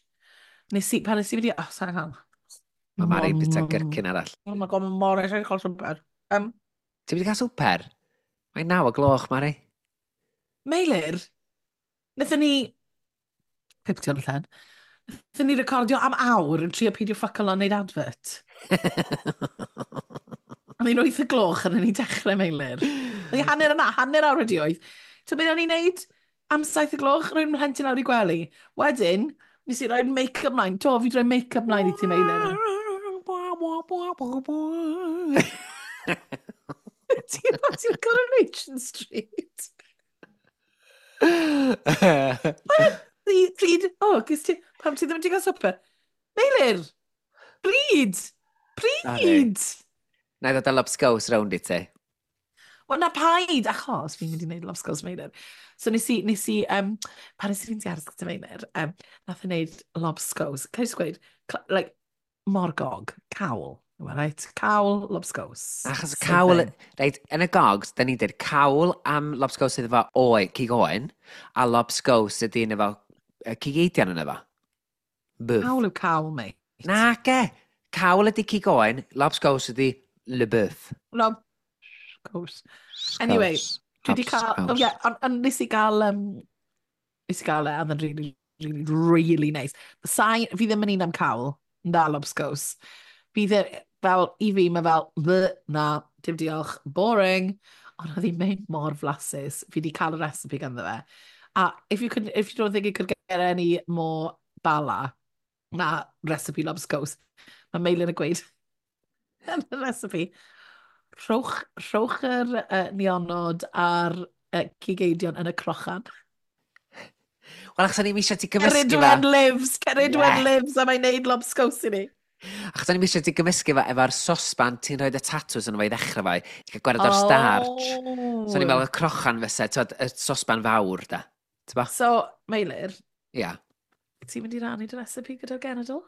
nes i, pan nes i fynd i... Oh, sorry, hang on.
Mae Mari bita gyrcyn arall.
Oh my god, mae mor eisiau cael swper.
Ti'n mynd i cael swper? Mae'n 9 o gloch, Mari.
Meilir, wnaethon ni... Piptio yn y llen. Wnaethon ni recordio am awr yn trio peidio ffuck lan wneud advert. O'n i'n 8 y gloch yn ni'n dechrau, Meilir. O'n i hanner yna, hanner awr wedi 8. So beth o'n i'n neud am 7 y gloch? Rwy'n mhlentyn lawr i gwely. Wedyn, nes i roi'r make-up mlaen. Do, fi wedi rhoi make-up mlaen i ti, Meilir. Ti'n ti'n Coronation Street? Pryd, o, oh, ti, pam ti ddim wedi cael swper? Meilir! Pryd! Pryd!
Na i ddod â lobscows rownd i ti.
Wel, na paid, achos fi'n mynd i wneud lobscows Meilir. So nes i, pan nes i fynd i aros gyda Meilir, nath i wneud lobscows. Can I just gweud, like, morgog, cawl. Right? Cawl, lobscows.
Achos cawl, reit, yn y gogs, da ni'n dweud cawl am lobscows sydd efo oe, cig oen, a lobscows sydd yn efo cig eidion yn efo.
Bwf. Cawl yw cawl, mate.
Na, ge. Cawl ydy cig oen, lobscows ydy le bœuf.
Lobscows. Anyway, dwi wedi cael... Oh, yeah, ond nes i gael... nes i gael e, oedd yn really, really, really nice. Sain, fi ddim yn un am cawl, na lobscows. Fi ddim, fel, i fi, mae fel, bleh, na, dim diolch, boring. Ond oedd hi'n mynd mor flasus. Fi wedi cael y recipe ganddo fe. A if you, could, if you don't think it could get any more bala na recipe lobscows, mae Meilir yn gweud yn y recipe, rhowch yr nionod a'r cig eidion yn y crochan.
Wel, achos o'n i'n eisiau ti gymysgu fe.
Ceridwen lives, Ceridwen yeah. lives, a mae'n neud lobscows i ni.
Achos o'n i'n eisiau ti gymysgu fe efo'r sosban ti'n rhoi y tatws yn fo i ddechrau fo, ti'n cael gwared o'r starch. So o'n i'n meddwl y crochan fysa, ti'n y sosban fawr da. T'bo?
So, Meilir.
Ia. Yeah.
Ti'n mynd i rannu dy recipe gyda'r genedl?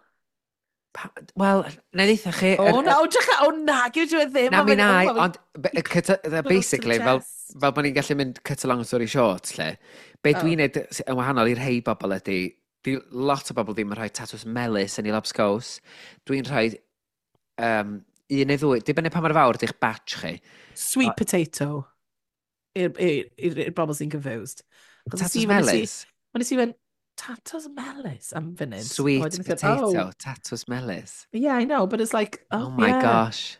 Wel, na i ddeitha chi...
O, na, o, drych, o, na, gyda dwi ddim.
Na, mi na, ond basically, fel bod ni'n gallu mynd cut a long story short, lle, be dwi'n neud yn wahanol i'r rhai bobl ydy, di lot o bobl ddim yn rhoi tatws melys yn ei lobscows. Dwi'n rhoi un neu ddwy, dibynnu pa mor fawr di'ch batch chi.
Sweet potato. I'r bobl sy'n confused.
Tatws melys?
Mae'n nes i fynd, tatws melys am funud.
Sweet potato, tatws melys.
Yeah, I know, but it's like, oh,
oh my
yeah.
gosh.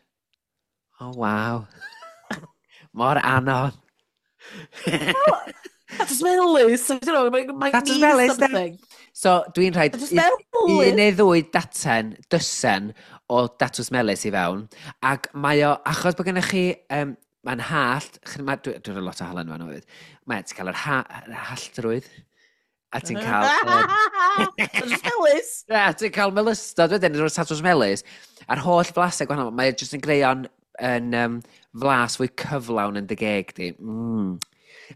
Oh, wow. Mor anodd.
Tatws melys, I don't know, it might
tatws
mean
melys,
something.
So, dwi'n rhaid un neu ddwy daten, dysen o datws melys i fewn, ac mae o, achos bod gennych chi, mae'n hallt, dwi'n rhoi lot o halen fan hefyd, mae ti'n cael yr halltrwydd, a ti'n cael...
Tatws melys!
Ia, ti'n cael melystod wedyn, rwy'r tatws melys, a'r holl flasau gwahanol, mae jyst yn greu o'n yn, flas fwy cyflawn yn dy geg di. Mm.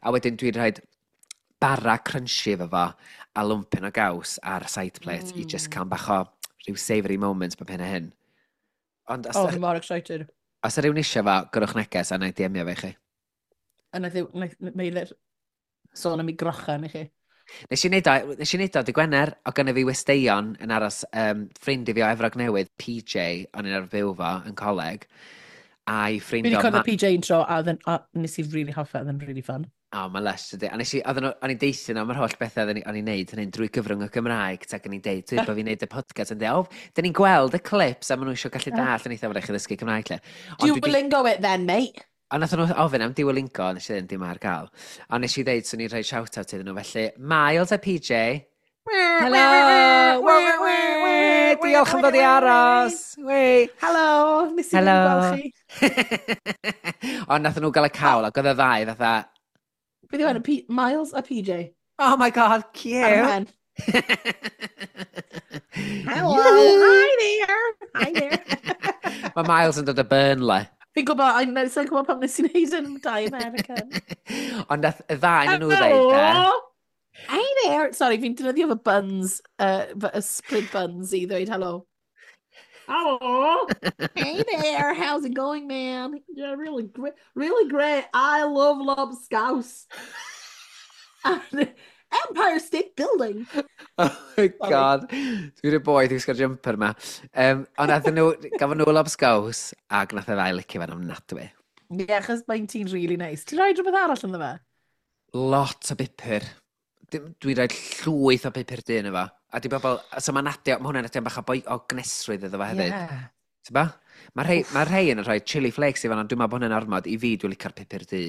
A wedyn dwi'n rhoi bara crunchy efo fo a lwmpyn o gaws ar side plate i just cael bach o rhyw savoury moments bob hyn a hyn.
Ond os, oh, I'm more excited.
Os yw rhywun eisiau fo, gyrwch neges a na i DM-io fe i chi.
A na Meilir sôn am ei grochan i chi.
Nes i wneud o dy Gwener, o gynna fi westeion yn aros ffrind i fi o Efrog Newydd, PJ, o'n i'n arfer byw fo yn coleg, a'i ffrind
o... Fi wedi cwrdd â PJ un tro, a nes i really hoffi, oedd yn really fun.
O, mae'n lush, ydy. A nes i, o'n i'n deithio nhw am yr holl bethau o'n i'n neud hynny'n drwy gyfrwng y Gymraeg, ac o'n i'n deud, dwi'n bod fi'n neud y podcast, yn deud, o, dyn ni'n gweld y clips, a maen nhw eisiau gallu dall yn eitha fod eich ddysgu Cymraeg, lle.
Duolingo it then, mate.
Ond nath nhw ofyn am Duolingo, nes i ddweud, dim ar gael. Ond nes i ddeud, swn i'n rhoi shout-out iddyn nhw, felly, Miles a PJ, hello! Diolch am ddod i aros!
Hello! Nes i ddim gweld chi.
Ond nath nhw gael y cawl, ac oedd y ddau fatha...
Beth yw enw? Miles a PJ.
Oh my god, cute!
Hello! Hi there! Hi there!
Mae Miles yn dod o Burnley.
Fi'n gwybod, sa'n gwybod pam nes i wneud yn dau American.
Ond nath y ddau yn nhw ddeud, e.
Hi there! Sorry, fi'n defnyddio fy buns, fy ysbryd buns i ddweud hello. Hello! Hey there, how's it going, man? Yeah, really great. Really great. I love lobscouse. Empire State Building.
Oh my God. Dwi'n rhaid boeth i wisgo'r jumper ma. Ond nath nhw, gafon nhw lobscows, ac nath y ddau licio fe'n ofnadwy.
Ie, yeah, achos mae'n ti'n really nice. Ti'n rhoi rhywbeth arall ynddo fe?
Lot o bupur. Dwi'n rhoi llwyth o bupur du ynddo fo. A di bobl, so mae'n adio, mae hwnna'n adio bach o, boi, o gnesrwydd iddo fo hefyd.
Yeah.
Ti'n ba? Mae rhai, ma rhai yn rhoi chili flakes i fan, ond dwi'n meddwl bod hwnna'n ormod. I fi, dwi'n licio'r pupur du.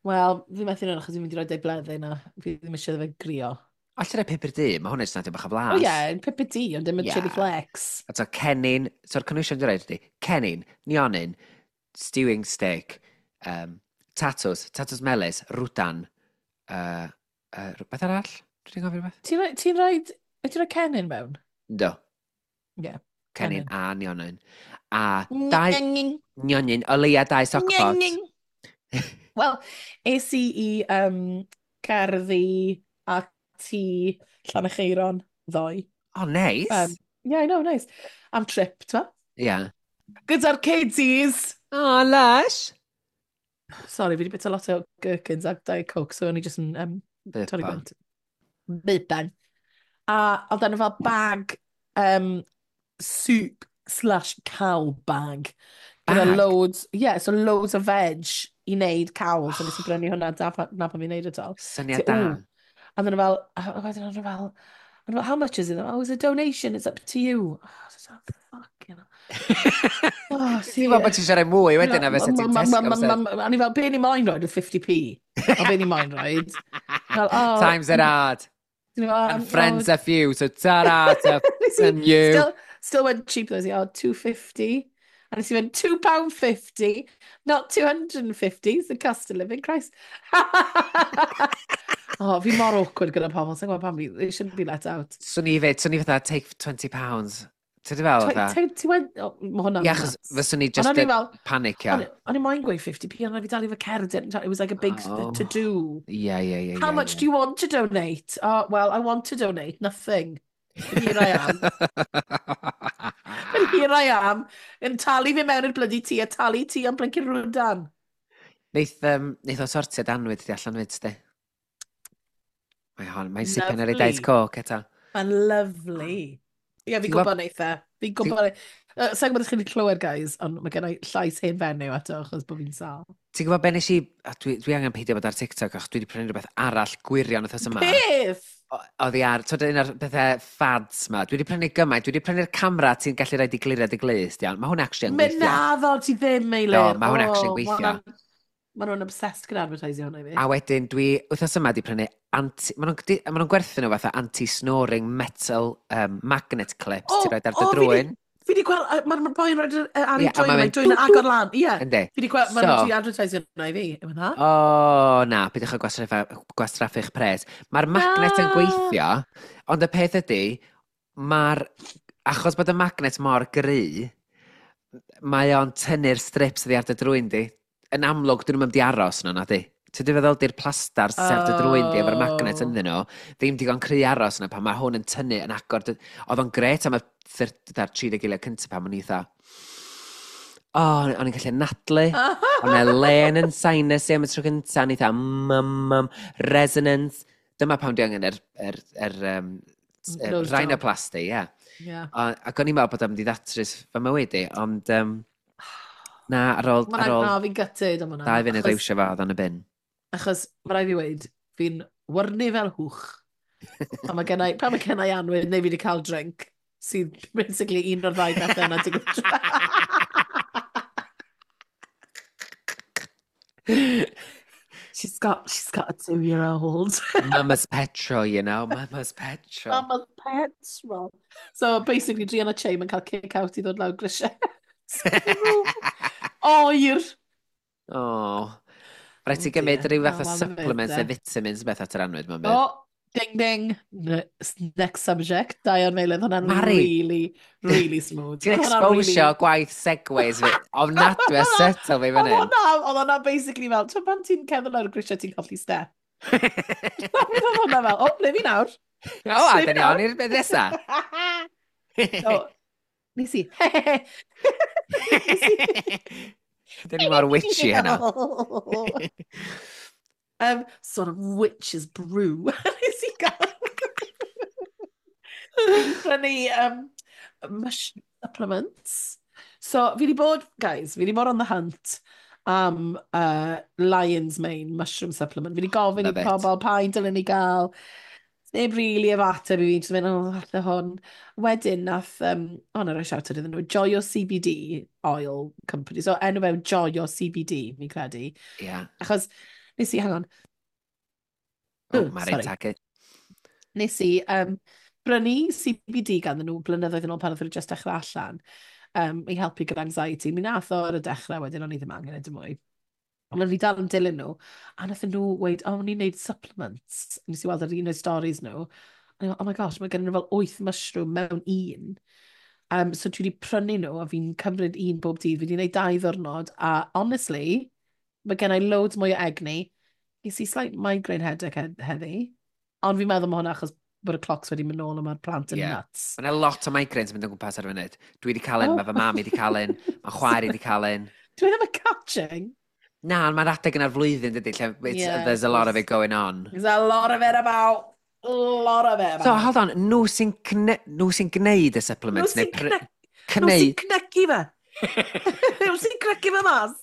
Wel, fi methu nhw'n achos fi'n mynd i roi deg bleddyn a fi ddim eisiau fe grio.
Alla rhoi pupur du, mae hwnna'n jyst yn adio bach o flas.
O ie, yeah, pupur du, ond dim y
Ie.
chili flakes.
A to cennin, so'r cynhwysion dwi'n rhaid ydi, cennin, nionyn, stewing steak, tatws, tatws melys, rwdan, rhywbeth arall? Dwi'n gofio rhywbeth?
Ti'n rhoi, ti'n rhoi, wyt ti'n rhoi cennin mewn?
Do.
Ie,
Cennin
cennin.
a nionyn. A dau nionyn, o leia dau stockpot.
Wel, es i i cerddi a tŷ Llanerchaeron ddoe.
Oh, nice.
Yeah, I know, nice. Am trip, ti'n
Yeah.
Gyda'r kiddies!
Oh, lush.
Sorry, fi wedi bita lot o gherkins a Diet Coke, so o'n i just yn torri
Burpa.
gwynt. Burpan. A oedd yna fel bag soup slash cawl bag. Gyda
Bag?
loads, yeah, so loads of veg i wneud cawl. So nes i brynu hwnna, da, na pan fi'n wneud e to.
Syniad
So,
da.
ooh. And then fel, a wedyn o'n fel, o'n fel, how much is it? Oh, it's a donation, it's up to you. Oh, I was like, fucking hell. Oh,
Ti'n gwybod bod ti'n siarad mwy wedyn a fysa ti'n Tesco.
O'n i fel, be ni moyn roed with 50p? O, be ni moyn roed? Fel, oh,
Times are hard.
O'n i fel,
And friends are few, so ta-ra to
Nes i-
and you.
Still went cheap though, oh, 250. And nes i went £2.50, not 250, it's the cost of living, Christ. Oh, fi mor awkward gyda pobl, sa'n gwybod pam fi, they shouldn't be let out.
Swn i fyd, swn i fatha, take £20. Ti'n di fel fatha?
Ti went, oh, mae hwnna'n
Ie, achos
nuts.
fyswn i
Ond
just
o'n i
yn
fel,
panicio.
o'n i moyn gweud 50p, ond o'n i dal i fy cerdyn. It was like a big
Oh.
to-do.
Ie, ie, ie.
How much do you want to donate? Oh, well, I want to donate nothing. But here I am. But here I am, yn talu fi mewn i'r bloody tŷ a talu ti am blinking rwdan.
Neith o sortiad anwyd di allan fyd, sti. Mae hon, mae'n sipen ar ei
Lovely.
Diet Coke eto.
Mae'n lovely. Ie, fi'n
Ti'n
gwybod neith e. Fi'n gwybod... Sa'n gwybod os chi wedi clywed, guys, ond mae gen i llais hen fenyw eto, achos bod fi'n sâl.
Ti'n gwybod be nes i... A dwi angen peidio bod ar TikTok, achos dwi wedi prynu rhywbeth arall gwirion wythnos yma.
Beth?
Oddi ar, twyd un o'r bethau fads ma. Dwi wedi prynu gymaint, dwi wedi prynu'r camera ti'n gallu rhaid i glirio dy glust, iawn. Mae hwn actually yn
Mynd
gweithio.
naddo, ti ddim, Meilir.
Do, mae hwn actually yn gweithio.
Mae nhw'n obsessed gyda advertising hwnna i fi.
A wedyn dwi, wythnos yma, di prynu anti... Maen nhw'n ma nhw gwerthu nhw fatha anti-snoring metal magnet clips.
O,
ti'n rhaid ar dy
o, fi 'di-
drwyn.
Fi wedi gweld, mae'r ma boi'n rhoi ar
Ie,
ei
a
drwyn,
ma'n
mae'n
mynd
drwyn yn
dw,
agor lan. Ie,
Yndi.
fi wedi gweld, maen
So-
nhw'n advertising hwnna i fi. Yw hwnna?
O, na, peidiwch â gwastraffu'ch pres. Mae'r magnet yn
Na.
gweithio, ond y peth ydy, mae'r... Achos bod y magnet mor gry, mae o'n tynnu'r strips oddi ar dy drwyn di. Yn amlwg, dyn nhw'n mynd i aros yno, na di. Ti'n di feddwl di'r plastar sydd ar dy drwyn di efo'r magnet
Oh.
ynddyn nhw, ddim digon cry aros yna pan mae hwn yn tynnu yn agor. Oedd o'n gret am y 30 eiliad cyntaf pan o'n i fatha, o, o'n i'n gallu nadlu. O'n e len yn sinus i am y tro cyntaf, o'n i fatha, mm, resonance. Dyma pam dwi angen yr
Nose job.
rhinoplasty, ie.
Ie.
Ac o'n i'n meddwl bod o'n mynd i ddatrys fy mywyd i, ond na, ar ôl,
Mae'n
ar ôl
na, fi'n gutted am hwnna.
2 funud
Achos-
iwsio fo, oedd o'n y bin.
Achos, mae rhaid fi weud, fi'n wyrnu fel hwch. A mae gennau, pan mae gennau anwyd, neu fi wedi cael drink, sydd basically un o'r ddau bethau yna digwydd. She's got a 2-year-old.
Mama's petrol, you know, mama's petrol.
Mama's petrol. So basically, Drian a Che yn cael kick out i ddod lawr grisiau. Oer!
Oh. Rhaid ti
Oh
gymryd
dear.
rhyw fath o
Oh, wel, ma' fe
supplements
de.
neu vitamins beth at yr anwyd, mae'n byd.
Oh, ding ding. Next subject. Diane Meilydd, hwnna'n
Mari.
really, really smooth.
Ti'n
Oedd hwnna'n really-
exposio gwaith segways fi. Ofnadwy a settle fi fan
Oedd
hyn.
hwnna, oedd hwnna basically fel, ti'n pan ti'n cerdded lawr y grisiau ti'n colli step. Oedd hwnna fel, o, ble fi nawr?
O, a dyn ni on i'r beth nesa.
So, nes i. Nes i.
Dyn ni mor witchy heno.
Sort of witch's brew. Nes i gael. Fi 'di prynu mushroom supplements. So, fi di bod, guys, fi di bod on the hunt am Lion's Mane mushroom supplement. Fi di gofyn i
Love it.
pobl pa un dylen ni gael. Neb really efo ateb i fi, jyst mynd, "Oh, falle hwn." Wedyn, nath, oh, na roi shout out iddyn nhw, Joio CBD Oil Company. So, enw fe yw Joio CBD, fi'n credu. Achos, nes i, hang on,
Oh,
Oh,
Mari'n
sorry.
tagu.
Nes i brynu CBD ganddyn nhw blynyddoedd yn ôl pan oedd nhw just dechrau allan i helpu gyda anxiety. Mi nath o ar y dechrau wedyn, o'n i ddim angen e dim mwy. Ond o'n i dal yn dilyn nhw, a nath nhw weud, "Oh, ni'n neud supplements." Nes i weld ar un o'r stories nhw. A o'n i fel, "Oh my gosh, mae gen nhw fel wyth mushroom mewn un." So dwi wedi prynu nhw a fi'n cymryd un bob dydd. Fi wedi gwneud 2 ddiwrnod a honestly, mae gen i loads mwy o egni. Nes i slight migraine headache heddi. Ond fi'n meddwl mae hwnna achos bod y clocks wedi mynd nôl a mae'r plant yn nuts.
Mae yna lot o migraines yn mynd o gwmpas ar y funud. Dwi wedi cael un, mae fy mam i wedi cael un, mae chwaer i wedi cael un.
Dwi ddim yn catching.
Na, ond mae'r adeg yna'r flwyddyn, dydy, lle
Yeah,
there's a lot of it going on.
There's a lot of it about. A lot of it about.
So, hold on, nhw sy'n gwneud y
Nhw
supplements?
sy'n
Neu
nhw sy'n
cneud?
cnycu fe. Nhw sy'n cnycu fe mas.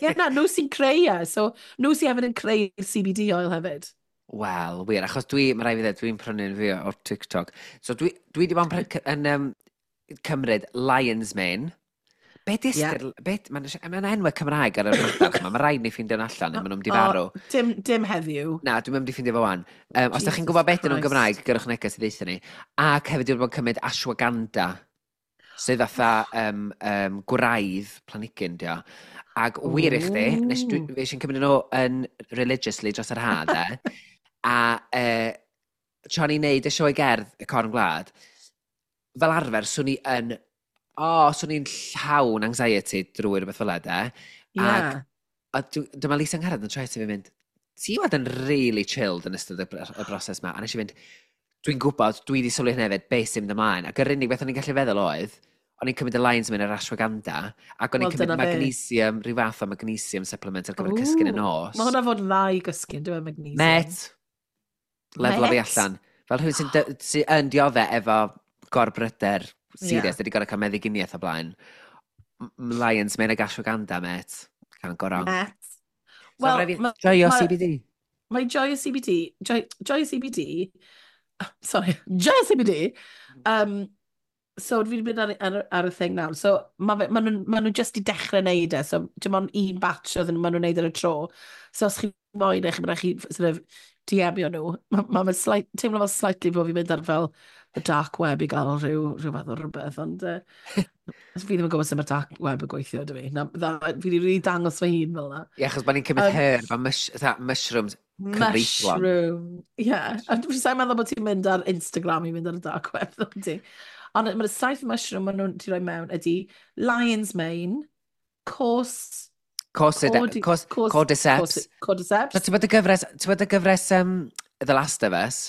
Ie, na, nhw sy'n creu e. So, nhw sy'n hefyd yn creu CBD oil hefyd.
Wel, wir, achos dwi, mae rhaid fi ddweud, dwi'n prynu'n fi o'r TikTok. So dwi wedi bod yn, yn cymryd Lion's Mane. Be di ystyr, be, mae'n ma enwau Cymraeg ar yr madarch yma, mae rhaid ni ffeindio allan, neu maen nhw'n mynd i farw.
Dim, dim heddiw.
Na, dwi'n mynd i ffeindio fo wan. Os da chi'n
Jesus
gwybod beth ydyn nhw'n
Christ.
Gymraeg, gyrwch neges i ddeutha ni. Ac hefyd dwi'n bod yn cymryd ashwagandha, sydd fatha gwraidd planhigyn, dio. Ac wir i chdi, nes dwi,
Ooh.
fi eisiau cymryd nhw yn religiously dros yr ha, de. A tra ni'n neud y sioe gerdd y Corn Gwlad, fel arfer, swn i yn, o, oh, swn i'n llawn anxiety drwy rhywbeth fel 'na, de. A dyma Lisa Angharad yn troi at fi mynd, "Ti wad yn really chilled yn ystod y broses ma." A nes i fynd, "Dwi'n gwybod, dwi wedi sylwi hynny hefyd, beth sy'n mynd ymlaen." Ac yr unig beth o'n i'n gallu feddwl oedd, o'n i'n cymryd y Lion's Mane a'r ashwagandha, ac o'n i'n
Wel,
cymryd
dyna fe.
magnesium, rhyw fath o magnesium supplement ar gyfer cysgu'n y nos.
Mae hwnna fod yn dda i gysgu, yn dweud, magnesium?
Met, lefel fi
Met?
allan. Fel rhywun sy yn dioddef efo gorbryder serious, yeah, wedi gorfod cael meddyginiaeth o blaen. Lion's Mane ag ashwagandha, met. Can't go wrong.
Met.
So,
Wel,
rhaid fi joio CBD.
Mae Joio CBD, Joio CBD, sorry, Joio CBD, so fi wedi mynd ar y thing nawr. So ma nhw just i dechrau neud e, so dim ond un batch oedd ma nhw'n neud ar y tro. So os chi moyn eich, mae'n chi sort of DM-io nhw. Mae ma slight, teimlo fel slightly bod fi'n mynd ar fel the dark web i gael rhyw fath o rhywbeth, ond fi ddim yn gwybod sut mae'r dark web yn gweithio, ydw i. Na, fi wedi really dangos fy hun fel na.
Ie, achos bod ni'n cymryd herb a mushrooms cyfreithlon.
Mushroom. Ie. Yeah. A dwi'n sa'n meddwl bod ti'n mynd ar Instagram i mynd ar y dark web, ddo ti. Ond mae'r saith mushroom maen nhw'n ti roi mewn ydy Lion's Mane,
Cordyceps.
Cordyceps.
So, ti'n bod y gyfres The Last of Us?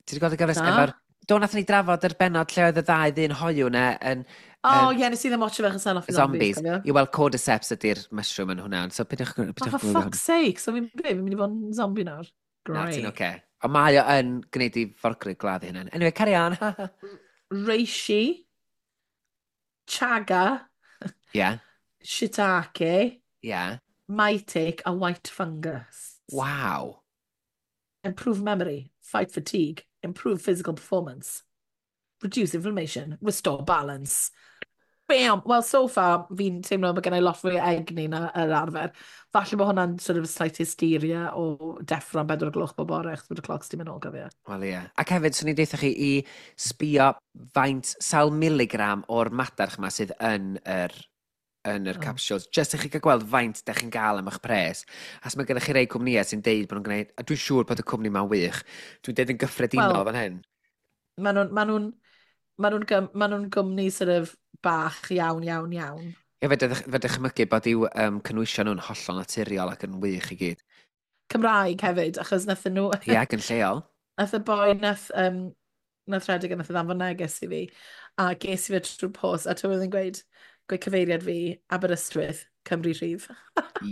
Ti wedi gweld y gyfres
Na.
efo'r... Do, nath ni drafod yr bennod lle oedd y ddau ddyn hoyw na yn
O, ie, nes i ddim watcho fe achos off i
zombies.
zombies. Cofio?
I weld cordyceps ydy'r mushroom yn hwnna. So, pidwch
Oh,
pidwch
for fuck's sake. So fi'n be, fi'n mynd i fod yn zombie nawr.
Na, ti'n
Great.
oce. Ond mae o yn gwneud i forgrug gladdu hynny. Anyway, carry on.
Reishi, Chaga, Shiitake, Maitake a white fungus.
Waw.
Improve memory, fight fatigue, improve physical performance, reduce inflammation, restore balance. Bam! Well, so far, fi'n teimlo bod gen i lot fwy o egni na yr arfer. Falle bod hwnna'n sort of slight hysteria o deffro am 4 o'r gloch bob bore, achos bod y clocs di mynd nôl, gofio.
Wel ie. Ac hefyd, swn i'n deutha chi i sbio faint sawl miligram o'r madarch yma sydd yn yr capsules. Just i chi gael gweld faint da chi'n gael am eich pres. As mae gennych chi rei cwmnïau sy'n deud bod nhw'n gwneud, a dwi'n siŵr bod y cwmni ma'n wych. Dwi'n deud yn gyffredinol
Wel,
fan hyn.
Maen nhw'n gwmni sort of bach iawn, iawn, iawn.
Ie, fe dychmygu bod i'w cynwysion nhw'n hollol naturiol ac yn wych i gyd.
Cymraeg hefyd, achos nathon nhw...
Ie, ac yn lleol.
Nath y boi nath rhedeg a nath y ddanfon neges i fi, a ges i fe trwy'r post, a ti'n yn gweud, Gweud cyfeiriad fi, Aberystwyth, Cymru Rhydd.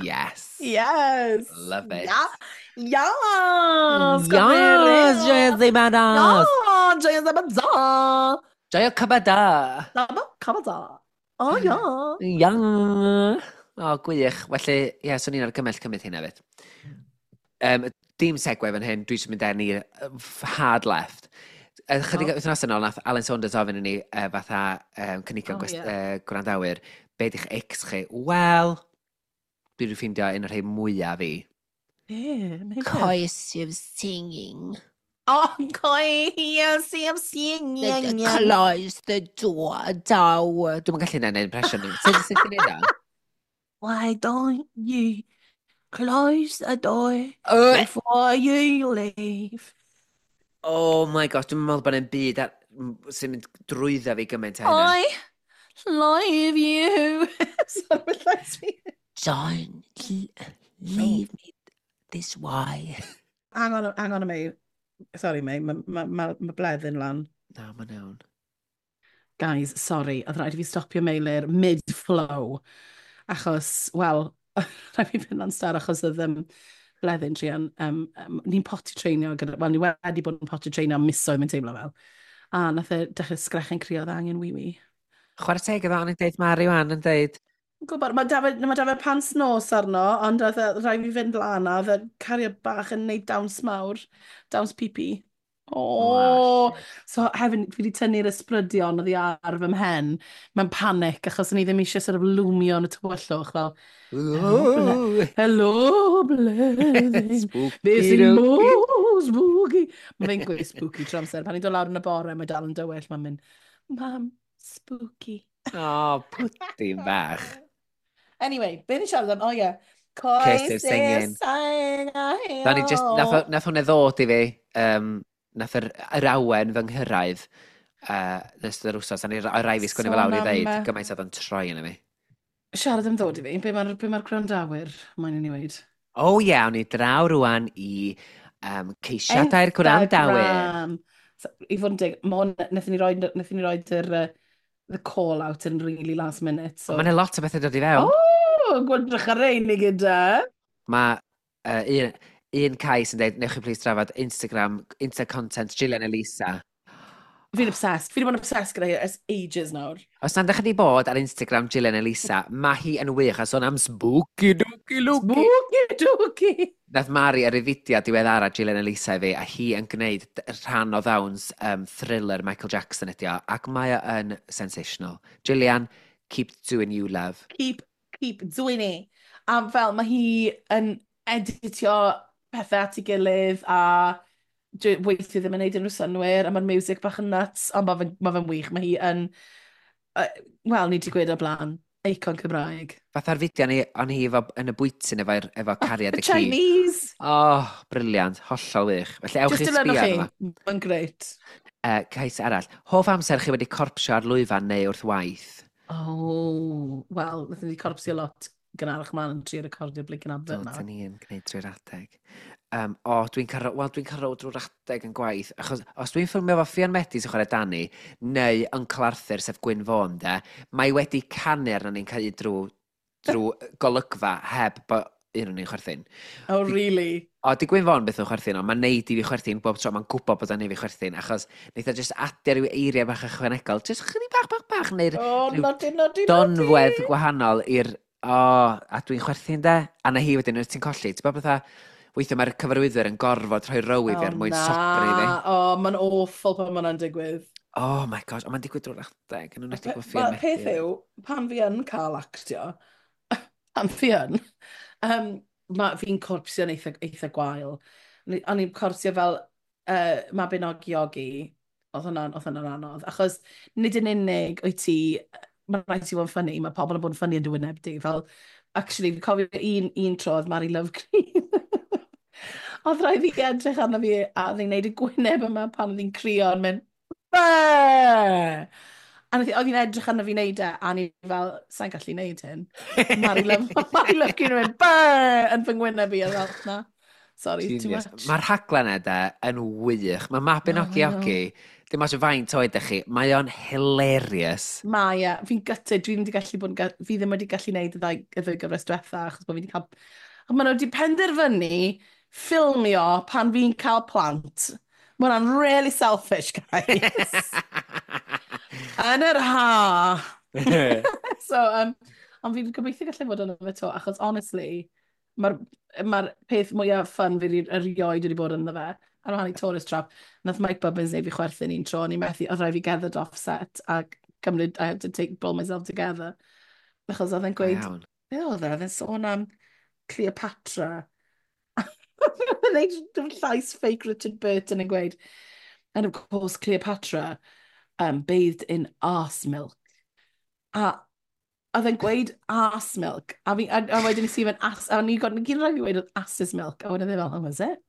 Yes.
Yes.
Love it.
Yeah. Yes.
Yes, joio ddim anos.
Yes, joio ddim anos.
Joio cybada.
Cybada. Oh, yeah.
Yeah. O, gwych. Felly, ie, yeah, swn i'n argymell cymryd hynna hefyd. Dim segue fan hyn, dwi eisiau mynd â ni hard left. Chydig oh. wythnos yn ôl, nath Alan Saunders ofyn i ni fatha cynigion oh, yeah. Gwrandawyr, be di'ch ex chi? Wel, dwi wedi ffeindio un o'r rhai mwyaf fi.
Yeah,
Coercive singing.
Oh, coercive singing.
Close the door, daw. Dwi'n gallu gwneud impression. Sut ti'n gwneud o?
Why don't you close the door before you leave?
Oh my gosh, dwi'n meddwl bod e'n byd sy'n mynd drwyddo fi gymaint hynna.
I love you. Sorry, mae llais fi.
Don't leave me this way.
Hang on, hang on a minute. Sorry, mate, mae ma, ma, ma bleddyn lan.
Na, mae'n iawn.
Guys, sorry, oedd rhaid i fi stopio Meilir mid-flow. Achos, wel, rhaid fi fynd lan star achos oedd bleddyn druan. Ni'n potty trainio, gyda, wel, ni wedi bod yn potty trainio am misoedd, mae'n teimlo fel. A nath e dechrau sgrechen crio, oedd angen wee-wee.
Chwarae teg iddo, o'n i'n deud Mari wan yn deud.
Gwybod, mae Dafydd pants nos arno, ond oedd rhaid fi fynd lan a oedd y cario bach yn neud dawns mawr, dawns pipi. Oh, so hefyd, fi wedi tynnu'r ysbrydion oddi ar fy mhen mewn panic, achos o'n i ddim eisiau sort of lwmio yn y tywyllwch, fel, hello, Bleddyn,
Spooky
sy'n mor spooky. Mae fe'n gweud spooky trwy amser. Pan i'n dod lawr yn y bore, mae dal yn dywyll, mae'n mynd, mam, spooky.
Oh, pwdin bach.
Anyway, be ni'n siarad am? Oh, yeah.
Cursive singing. Nath just, nath hwnna ddod i fi, nath yr awen fy nghyrraedd nes yr wsos, a ni rai fi sgwennu fel lawr i ddeud, gymaint oedd yn troi yn fi.
Siarad am ddod i fi, be mae'r be ma gwrandawyr mae'n i ni weud?
O ie, awn ni draw rwan i ceisiadau'r gwrandawyr.
So, i fod yn deg, ma hwn, nethon ni roed yr the call out in really last minute. So.
Mae'n lot o bethau dod i fewn.
O, gwrddrych ar ein i gyda.
Mae un cais yn dweud, newch chi please drafod Instagram, Insta content Gillian Elisa.
Fi'n obsessed. Fi wedi bod yn obsessed gyda hi ers ages nawr.
Os nad ydych chi wedi bod ar Instagram Gillian Elisa, mae hi yn wych a sôn am spooky dooky looky.
Spooky dooky.
Nath Mari ar ei fideo diweddara Gillian Elisa i fi, a hi yn gwneud rhan o ddawns thriller Michael Jackson ydi o, ac mae o yn sensational. Gillian, keep doing you, love.
Keep doing it. A fel, mae hi yn editio pethau at ei gilydd a weithiau ddim yn neud unrhyw synnwyr, a mae'r music bach yn nuts, ond mae fe'n ma fe wych. Mae hi yn, wel, ni wedi gweud o'r blaen, eicon Cymraeg.
Fatha'r fideo ni, o'n hi efo, yn y bwyty efo, efo cariad y ci.
Chinese!
Oh, brilliant, hollol wych. Felly ewch
Just
i sbio
dilynwch
arno
chi, mae'n greit.
Cais arall. Hoff amser chi wedi corpsio ar lwyfan neu wrth waith?
Oh, wel, wnaethon ni corpsio lot gynharach mlaen yn trio recordio'r blinking advert
Do,
na.
dyn ni yn gwneud drwy'r adeg. O, dwi'n cael, wel, dwi'n cael drwy'r adeg yn gwaith, achos os dwi'n ffilmio efo Ffion Medi sy'n chwarae Dani, neu Uncle Arthur, sef Gwyn Fôn, de, mae wedi canu arno ni'n cael drwy golygfa heb bo un o'n ni'n chwerthin.
Oh, really?
O, di Gwyn Fôn beth o'n chwerthin, ond mae'n neud i fi chwerthin bob tro, mae'n gwybod bod o'n neud i fi chwerthin, achos neith o just adio rhyw eiriau bach ychwanegol, just chydig bach, bach, bach, neu'r
Oh,
rhyw
nodi, nodi, nodi.
donfwedd gwahanol i'r... O, a dwi'n chwerthin de. A na hi wedyn, wyt ti'n colli. Ti'n bod fatha, weithio mae'r cyfarwyddwyr yn gorfod rhoi row i fi er mwyn sobri fi.
O, mae'n awful pan mae'n digwydd.
Oh my gosh, ond mae'n digwydd drwy'r adeg, yn enwedig efo Ffion
Wel, peth
Medi.
yw, pan fi yn cael actio, pan fi yn, fi'n corpsio'n eitha gwael. O'n i'n corpsio fel Mabinogi Ogi, oedd hwnna'n anodd, achos nid yn unig wyt ti, mae'n rhaid ti fod yn ffynnu, mae pobl yn bod yn ffynnu yn dy wyneb di. Fel, actually, fi'n cofio un tro oedd Mary Love Green. Oedd rhaid fi edrych arno fi a oedd hi'n gwneud y gwyneb yma pan oedd hi'n crio yn mynd, Be! A oedd hi'n edrych arno fi wneud e, a ni fel, sa'n gallu wneud hyn. Mary Love Green yn mynd, Be! Yn fy ngwyneb i, a fel, na, sorry, too
Genius.
much.
Mae'r rhaglen e de yn wych. Mae Mabinogi
Oh, I know.
Ogi, Dim ots faint oed ydych chi, mae o'n hilarious.
Mae e, fi'n gutted, dwi ddim wedi gallu bod yn, fi ddim wedi gallu gwneud y ddwy gyfres diwetha, achos bod fi wedi cael. Ond maen nhw wedi penderfynu ffilmio pan fi'n cael plant. Mae hwnna'n really selfish, guys. Yn yr ha. So, ond fi'n gobeithio gallu fod yn fe to, achos honestly, mae'r ma peth mwyaf fun fi erioed wedi bod ynddo fe. Ar wahan i Tourist Trap, nath Mike Bubbins neud fi chwerthin un tro, o'n i'n methu, oedd rhaid fi gerdded off set a cymryd, I had to take, pull myself together. Achos oedd e'n gweud, be oedd e? Oedd e'n sôn am Cleopatra. Oedd e'n neud llais fake Richard Burton yn gweud, "And of course Cleopatra bathed in arse milk." A oedd e'n gweud arse milk, a wedyn nes i fynd, as, a o'n i'n gyd gyd rhaid fi weud oedd ass's milk, a wedyn e fel, "Oh, was it?"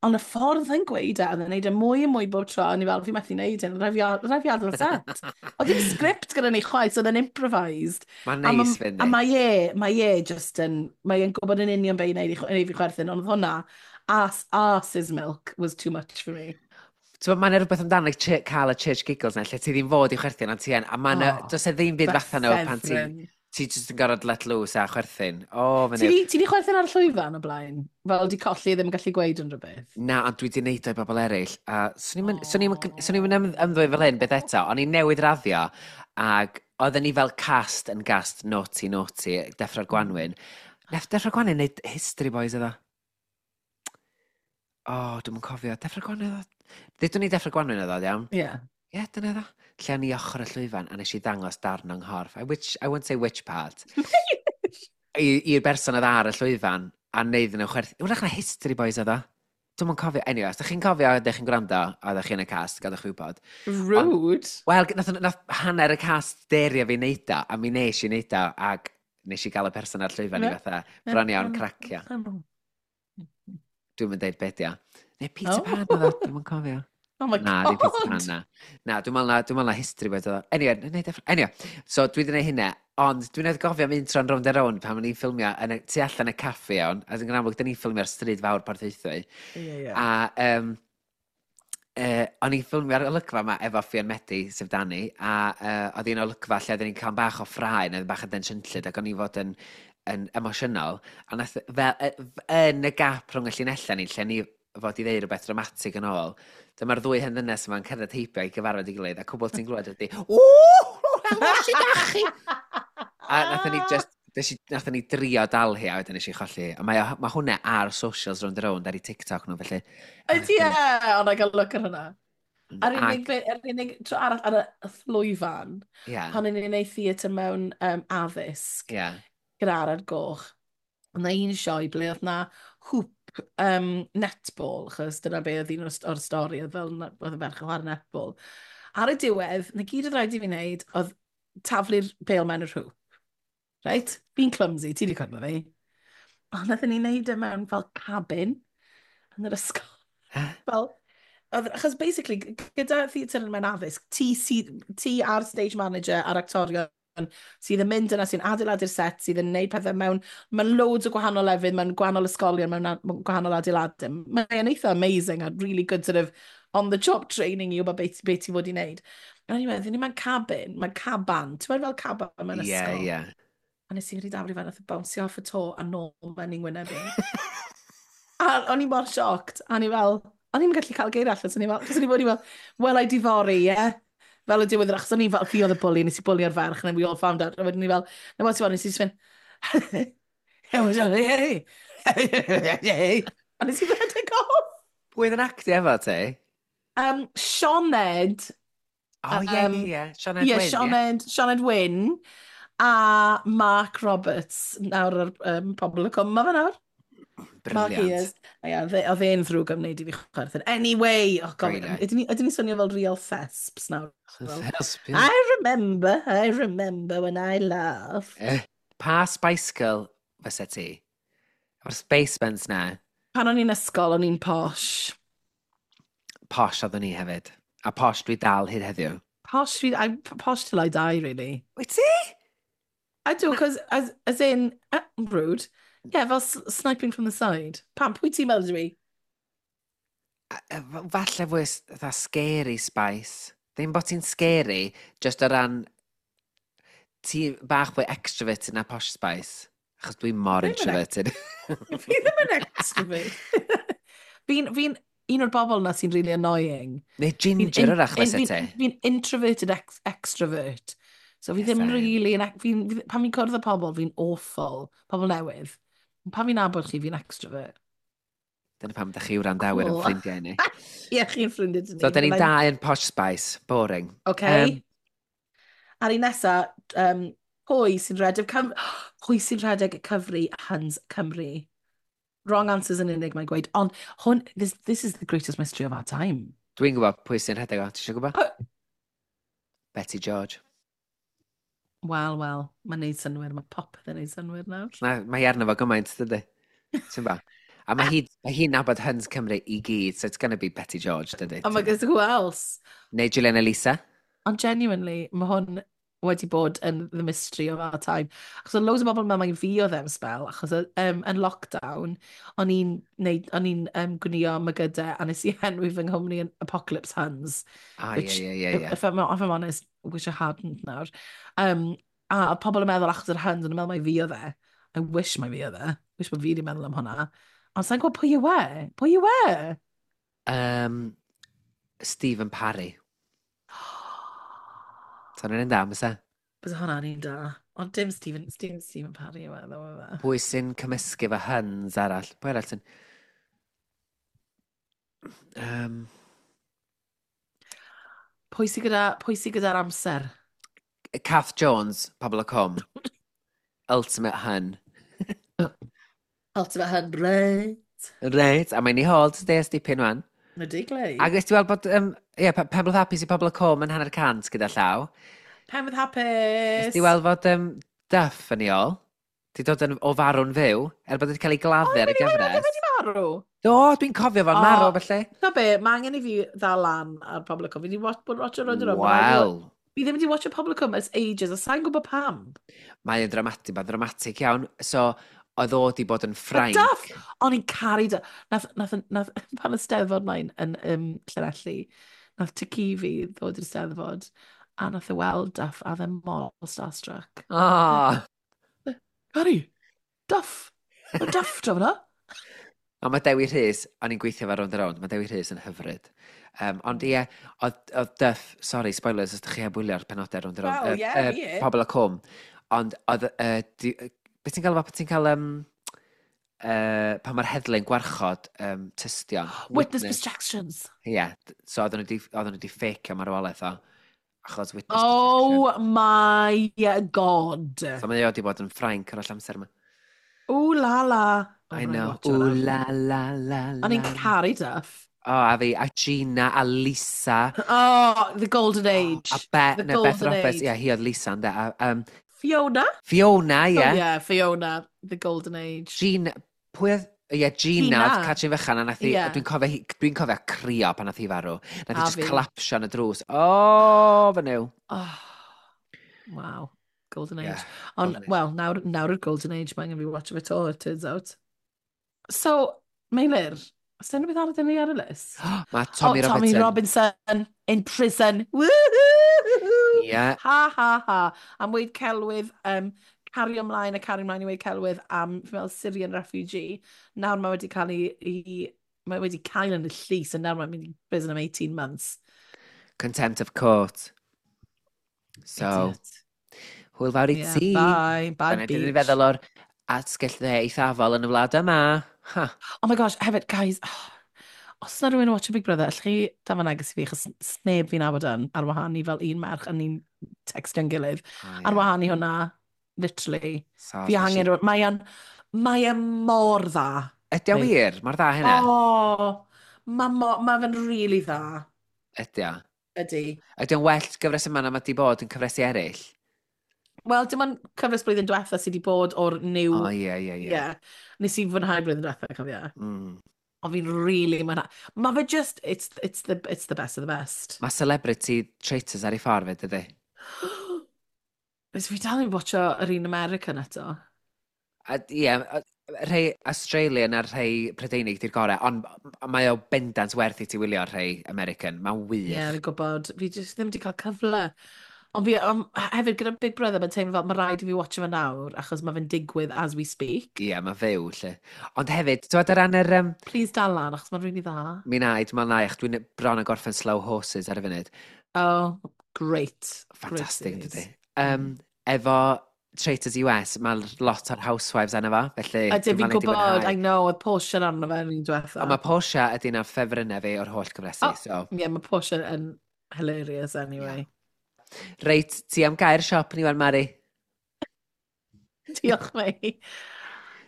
Ond y ffordd yn gweud e, oedd e'n neud e mwy a mwy bob tro, a o'n i fel, "Fi methu neud hyn, rhaid fi adael y set." Oedd ddim script gyda ni chwaith, so oedd e'n improvised.
Mae'n neis fynd.
A mae e just yn, mae e'n gwybod yn union be i wneud i fi chwerthin, ond oedd hwnna, arse's milk was too much for me.
Ti'n, mae'n rhywbeth amdano cael y church giggles na, lle ti ddim fod i chwerthin, ond ti yn, a mae'n, oh, does e ddim byd fatha nhw pan ti just yn gorfod let loose a chwerthin. O, oh,
Ti di chwerthin ar y llwyfan o blaen? Fel di colli ddim yn gallu gweud unrhyw beth?
Na, ond dwi di neud o i bobl eraill. A swn i'n mynd ymddwyn fel hyn beth eto, o'n i'n newydd raddio, ac oedden ni fel cast yn gast Naughty Naughty, Deffro'r Gwanwyn. Nath Deffro'r Gwanwyn neud History Boys iddo. O, oh, dwi'm yn cofio. Deffro'r Gwanwyn oedd o? Ddudwn ni Deffro'r Gwanwyn oedd o, iawn?
Ie. Yeah.
Ie, yeah, dyna ddo. Lle o'n i ochr y llwyfan a nes i ddangos darn o'n nghorff. I won't say which part. I'r berson oedd ar y llwyfan a neud nhw chwerthu. Wrach na History Boys oedd o. Dwi'm yn cofio. Anyway, os ydych chi'n cofio, ydych chi'n gwrando, a ydych chi yn y cast, gadwch chi wybod.
Rude.
Wel, nath hanner y cast derio fi neud o, a mi nes i neud o, ac nes i gael y person ar llwyfan i fatha bron iawn cracio. Dwi'n mynd deud beth ia. Neu Peter Pan oedd o, dwi'm yn cofio.
Oh my
Na,
God.
Ddim Peter Pan, na. Na, dwi'n meddwl na History Boys oedd o. Anyway, anyway, so dwi wedi gwneud hynna, ond dwi'n edrych gofio am un tro'n Rownd a Rownd pan o'n i'n ffilmio yn y, tu allan y caffi iawn, a yn amlwg, dyn ni'n ffilmio ar stryd fawr Porthaethwy.
Ie, ie.
A o'n i'n ffilmio'r olygfa yma efo Ffion Medi, sef Dani, a oedd hi'n olygfa lle oedden ni'n cael bach o ffrae, neu bach o densiynllyd, ac o'n i fod yn emosiynol, a nath, fel, yn y gap rhwng y llinellau ni, lle ni fod i ddeud rhywbeth dramatig yn ôl, dyma'r ddwy hen ddynes yma'n cerdded heibio i gyfarfod i gilydd, a cwbl ti'n glywed ydy, "Ww, helo, sut dach chi?" A nathon ni just, nathon ni drio dal hi, a wedyn nes i cholli. A mae hwnna ar socials Rownd a Rownd, ar ei TikTok nhw, felly.
Ydy e, ond I gael look ar hwnna. A'r unig tro arall ar y llwyfan, pan o'n i'n gwneud theatr mewn addysg, gyda Arad Goch, oedd 'na un sioe ble oedd na hoop netball, achos dyna be oedd un o'r stori, oedd fel oedd y ferch yn chwarae netball. Ar y diwedd, na gyd oedd rhaid i fi wneud, oedd taflu'r bêl mewn yr hoop. Right? Fi'n clumsy, ti wedi cwrdd â fi. Ond nathon ni wneud e mewn fel cabin yn yr ysgol. Fel, achos basically, gyda theatr mewn addysg, ti a'r stage manager a'r actorion sydd yn mynd yna, sy'n adeiladu'r set, sydd yn neud pethau mewn loads o gwahanol lefydd, mewn gwahanol ysgolion, mewn gwahanol adeiladau. Mae'n eitha amazing a really good sort of on-the-job training i wybod beth ti fod i wneud. A o'n i'n meddwl, ni mewn cabin, mae'n caban, ti'n meddwl fel caban mewn ysgol?
Ie.
A nes i wedi daflu fe, nath e bownsio off y to a nôl mewn i'n ngwyneb i. A o'n i mor shocked, a o'n i fel, o'n i'n gallu cael geir allan, so o'n i fel, cos o'n i fod i fel, "Well, I difory, ie?" Fel y diwedd, achos o'n i fel, fi oedd y bully, nes i bwlio'r ferch, and then we all found out, a wedyn ni fel, na what ti'n nes i just fynd, a nes i redeg off.
Pwy oedd yn actio efo ti?
Sioned.
O, ie, ie. Sioned
Wyn,
ie.
Sioned Wyn, a Mark Roberts, nawr ar Pobol y Cwm, ma fe nawr. Mark
Brilliant.
Ears. A ie, oedd e'n ddrwg am wneud i fi chwerthin. Anyway, oh God,
Brilliant.
ydyn ni swnio fel real thesps nawr? Fel,
Thespian.
I remember when I laughed.
Pa Spice Girl fysa ti? O'r Space Buns na,
Pan o'n i'n ysgol, o'n i'n posh.
Posh oeddwn ni hefyd. A posh dwi dal hyd heddiw.
Posh, I'm posh till I die, really.
Wyt ti?
I do, because as in, rude. Yeah, fel sniping from the side. Pam, pwy ti'n meddwl dwi?
Falle fwy fatha scary Spice. Ddim bod ti'n scary, just o ran ti bach fwy extroverted na Posh Spice. Achos dwi'n mor introverted.
Fi ddim yn extrovert. Fi'n un o'r bobl na sy'n really annoying.
Neu ginger yr achos ti.
Fi'n introverted extrovert. So fi ddim really... Pan fi'n cwrdd â pobl, fi'n awful. Pobl newydd. Pan fi'n nabod chi, fi'n extrovert.
Dyna pam da chi wrandawyr yn ffrindiau ni.
Ie, chi'n ffrindiau ni.
So, da ni'n dau yn Posh Spice. Boring.
OK. A'r un nesa, pwy sy'n rhedeg cyfri Huns Cymru? Wrong answers yn unig, mae'n gweud. Ond hwn, this is the greatest mystery of our time.
Dwi'n gwybod pwy sy'n rhedeg o. Ti eisiau gwybod? Betty George.
Wel, wel, mae'n neud synwyr. Mae popeth yn neud synwyr nawr.
Na, mae hi arno fo gymaint, dydy. Ti'n ba? A mae hi'n nabod Huns Cymru i gyd, so it's gonna be Betty George, dydy.
Oh my God, who else?
Neu Julian Elisa.
Ond genuinely, mae hwn wedi bod yn the mystery of our time. Achos oedd loads o bobl yn meddwl mai fi oedd e'n spell, achos yn lockdown, o'n i'n gwnïo mygydau, a nes i enwi fy nghwmni yn Apocalypse Huns.
Ah, ie, ie, ie, ie.
If I'm honest, wish I hadn't nawr. A oedd pobl yn meddwl achos yr Huns, o'n i'n meddwl mai fi oedd e. I wish mai fi oedd e. Wish bod fi wedi meddwl am hwnna. Ond sa'n gwybod pwy yw e? Pwy yw e?
Stephen Parry. So hwnna'n un da, mysa?
Bydd hwnna'n un da. Ond dim Stephen Parry yw e, ddo e.
Pwy sy'n cymysgu fo Huns arall? Pwy arall sy'n...
Pwy sy gyda'r amser?
Kath Jones, Pobol y Cwm. Ultimate Hun.
Ultimate Hun, reit.
Reit, a mae'n i hôl today ys dipyn wan.
Mae di glei.
Ac ys ti weld bod, ie, Penblwydd Hapus i Pobol y Cwm yn 150 gyda llaw.
Penblwydd Hapus!
Ys ti weld fod Duff yn ei ôl? Di dod yn, o farw'n fyw, er bod wedi cael ei gladdu ar y gyfres.
O, wedi marw?
Do, dwi'n cofio fo'n marw, felly.
Na be, mae angen i fi ddal lan ar Pobol y Cwm. Fi wedi bod watch o Round and Round.
Wel.
Fi ddim wedi watch o Pobol y Cwm ers ages, a sa'n gwybod pam.
Mae'n dramatig, mae'n dramatig iawn. So, oedd o di bod yn Ffrainc.
Duff! O'n i'n caru Duff. Nath, pan y Steddfod mlaen yn Llanelli, nath Tici fi ddod i'r Steddfod, a nath e weld Duff, a dde mor starstruck.
Oh.
Cari, Duff! Mae Duff draw fyna.
Ond mae Dewi Rhys, o'n i'n gweithio fe Rownd a Rownd, mae Dewi Rhys yn hyfryd. Ond ie, oedd Duff, sorry, spoilers, os ydych chi heb wylio'r penodau Rownd a Rownd.
Well, yeah, yeah.
Pobol y Cwm. Ond oedd... Beth ti'n cael, ti'n cael pan mae'r heddlu'n gwarchod tystion.
Witness protections.
Ie, yeah, so oedden nhw wedi ffacio marwolaeth o. Achos witness protection.
Oh my God.
So mae o wedi bod yn Ffrainc yr holl amser yma.
Ooh la la.
Oh, I know. Ooh la la la la.
O'n i'n caru Duff.
Oh, a fi, a Gina, a Lisa.
Oh, the golden age.
Oh, a Beth Roberts, ie, hi oedd Lisa, ynddo.
Fiona?
Fiona, ie.
Oh, yeah, Fiona, the golden age.
Gina, pwy oedd? Ie, Gina, oedd Catrin Fychan, a nath hi, yeah. Dwi'n cofio crio pan nath hi farw. Nath hi just collapsio yn y drws. Oh, fy nyw.
Oh, wow, golden age. Yeah, ond, well, nawr yw'r golden age, mae'n angen fi watch of it all, it turns out. So, Meilir, oes unrhyw beth arall ni ar y list?
Mae Tommy Robinson.
Tommy Robinson in prison. Woohoo!
Yeah.
Ha, ha, ha. Am weid celwydd, cario ymlaen a cario ymlaen i weid celwydd am, fi'n meddwl, Syrian refugee. Nawr mae wedi cael ei mae wedi cael yn y llys, a nawr mae'n mynd i prison am 18 months.
Contempt of court. So, hwyl fawr i ti.
Bye, bye,
beach. Dyna ni'n feddwl o'r atgell dde eithafol yn y wlad yma. Ha.
Oh my gosh, hefyd, guys, os yna rhywun yn watch Big Brother, allwch chi dafod neges i fi, achos sneb fi'n nabod yn, ar wahân i fel un merch, a ni'n textio'n gilydd.
Oh, yeah.
Ar wahân i hwnna, literally.
So,
fi angen rhywun, mae e'n mor dda.
Ydy o wir? Mor dda hynna?
O, mae fe'n really dda.
Ydy o?
Ydy.
Ydy o'n well gyfres yma na mae di bod yn cyfresi eraill?
Wel, dim ond cyfres blwyddyn diwetha sydd wedi bod o'r new...
O, ie, ie, ie.
Nes i fwynhau blwyddyn diwetha, cofio. Ond fi'n really mwynhau. Mae fe just, it's the best of the best.
Mae Celebrity Traitors ar ei ffordd fe, dydy?
Fes fi dal yn watcho yr un American eto.
Ie, Rhai Australian a'r rhai Prydeinig di'r gorau, ond mae o bendant werth i ti wylio rhai American. Mae'n wych.
Ie, yeah, fi'n gwybod. Fi jyst ddim wedi cael cyfle. Ond fi, hefyd gyda Big Brother, mae'n teimlo fel mae rhaid i fi watcho fe nawr, achos mae fe'n digwydd as we speak.
Ie, yeah, mae fyw, lle. Ond hefyd, ti'n gwbod o ran yr...
Please dal lan, achos mae'n really dda.
Mi na, dwi'n meddwl na, ach, dwi'n bron yn gorffen Slow Horses ar y funud.
Oh, great.
Fantastic, great dydy. Efo Traitors US, mae lot o'r housewives arno fo, felly...
Ydyn, fi'n gwybod, I know, oedd Portia arno fe yn un diwetha.
Ond mae Portia ydy'n ar ffefrynnau fi o'r holl gyfresi, oh, so...
Ie, yeah, mae Portia yn hilarious anyway. Yeah.
Reit, ti am gair siop ni wan, Mari?
Diolch, mei.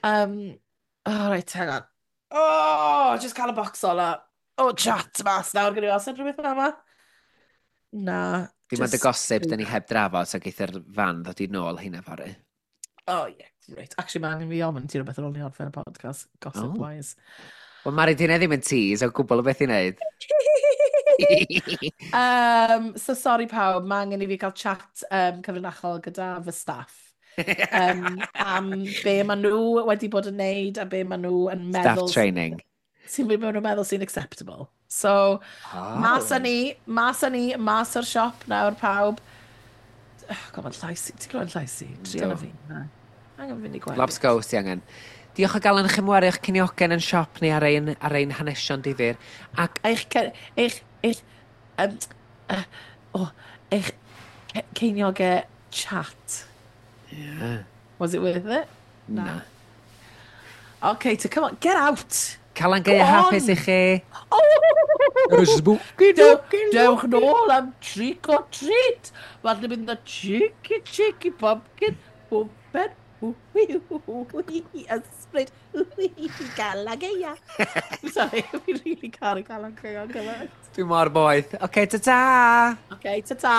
Oh, right, hang on. Oh, just cael y box ola. Oh, chat mas nawr, gyda fi os rhywbeth fel yma. Na.
Dim ond y gossip, dyn ni heb drafod, so geith yr fan ddod i nôl hynna fory.
Oh, yeah, great. Actually, mae angen fi ofyn ti rhywbeth ar ôl ni orffen y podcast, gossip-wise.
Oh. Wel, Mari, di ddim yn tease o gwbl o beth i wneud.
So sorry pawb, mae angen i fi cael chat cyfrinachol gyda fy staff. Am be maen nhw wedi bod yn neud a be maen nhw yn meddwl...
Staff training.
Sy'n be maen nhw'n meddwl sy'n acceptable. So, oh. Mas â ni, mas o'r siop nawr pawb. Oh, God, mae'n llais i. Ti'n clywed llais i? Trio na fi. Angen fynd i gweld.
Lobsgow ti angen. Diolch o galon i chi am eich ciniogen yn siop ni ar ein hanesion difyr. Ac...
Eich ceiniogau chat.
Yeah.
Was it worth it?
Na.
Okay, so come on, get out!
Calan Gaea hapus i chi.
Oh! Dewch nôl am trick or treat. Falle bydd yna cheeky, cheeky pumpkin, pwmpen, ysbryd, Calan Gaea. Sorry, fi'n really caru Calan Gaea gymaint.
Dwi'n mor boeth. Oce, ta-ta!
Oce, ta-ta!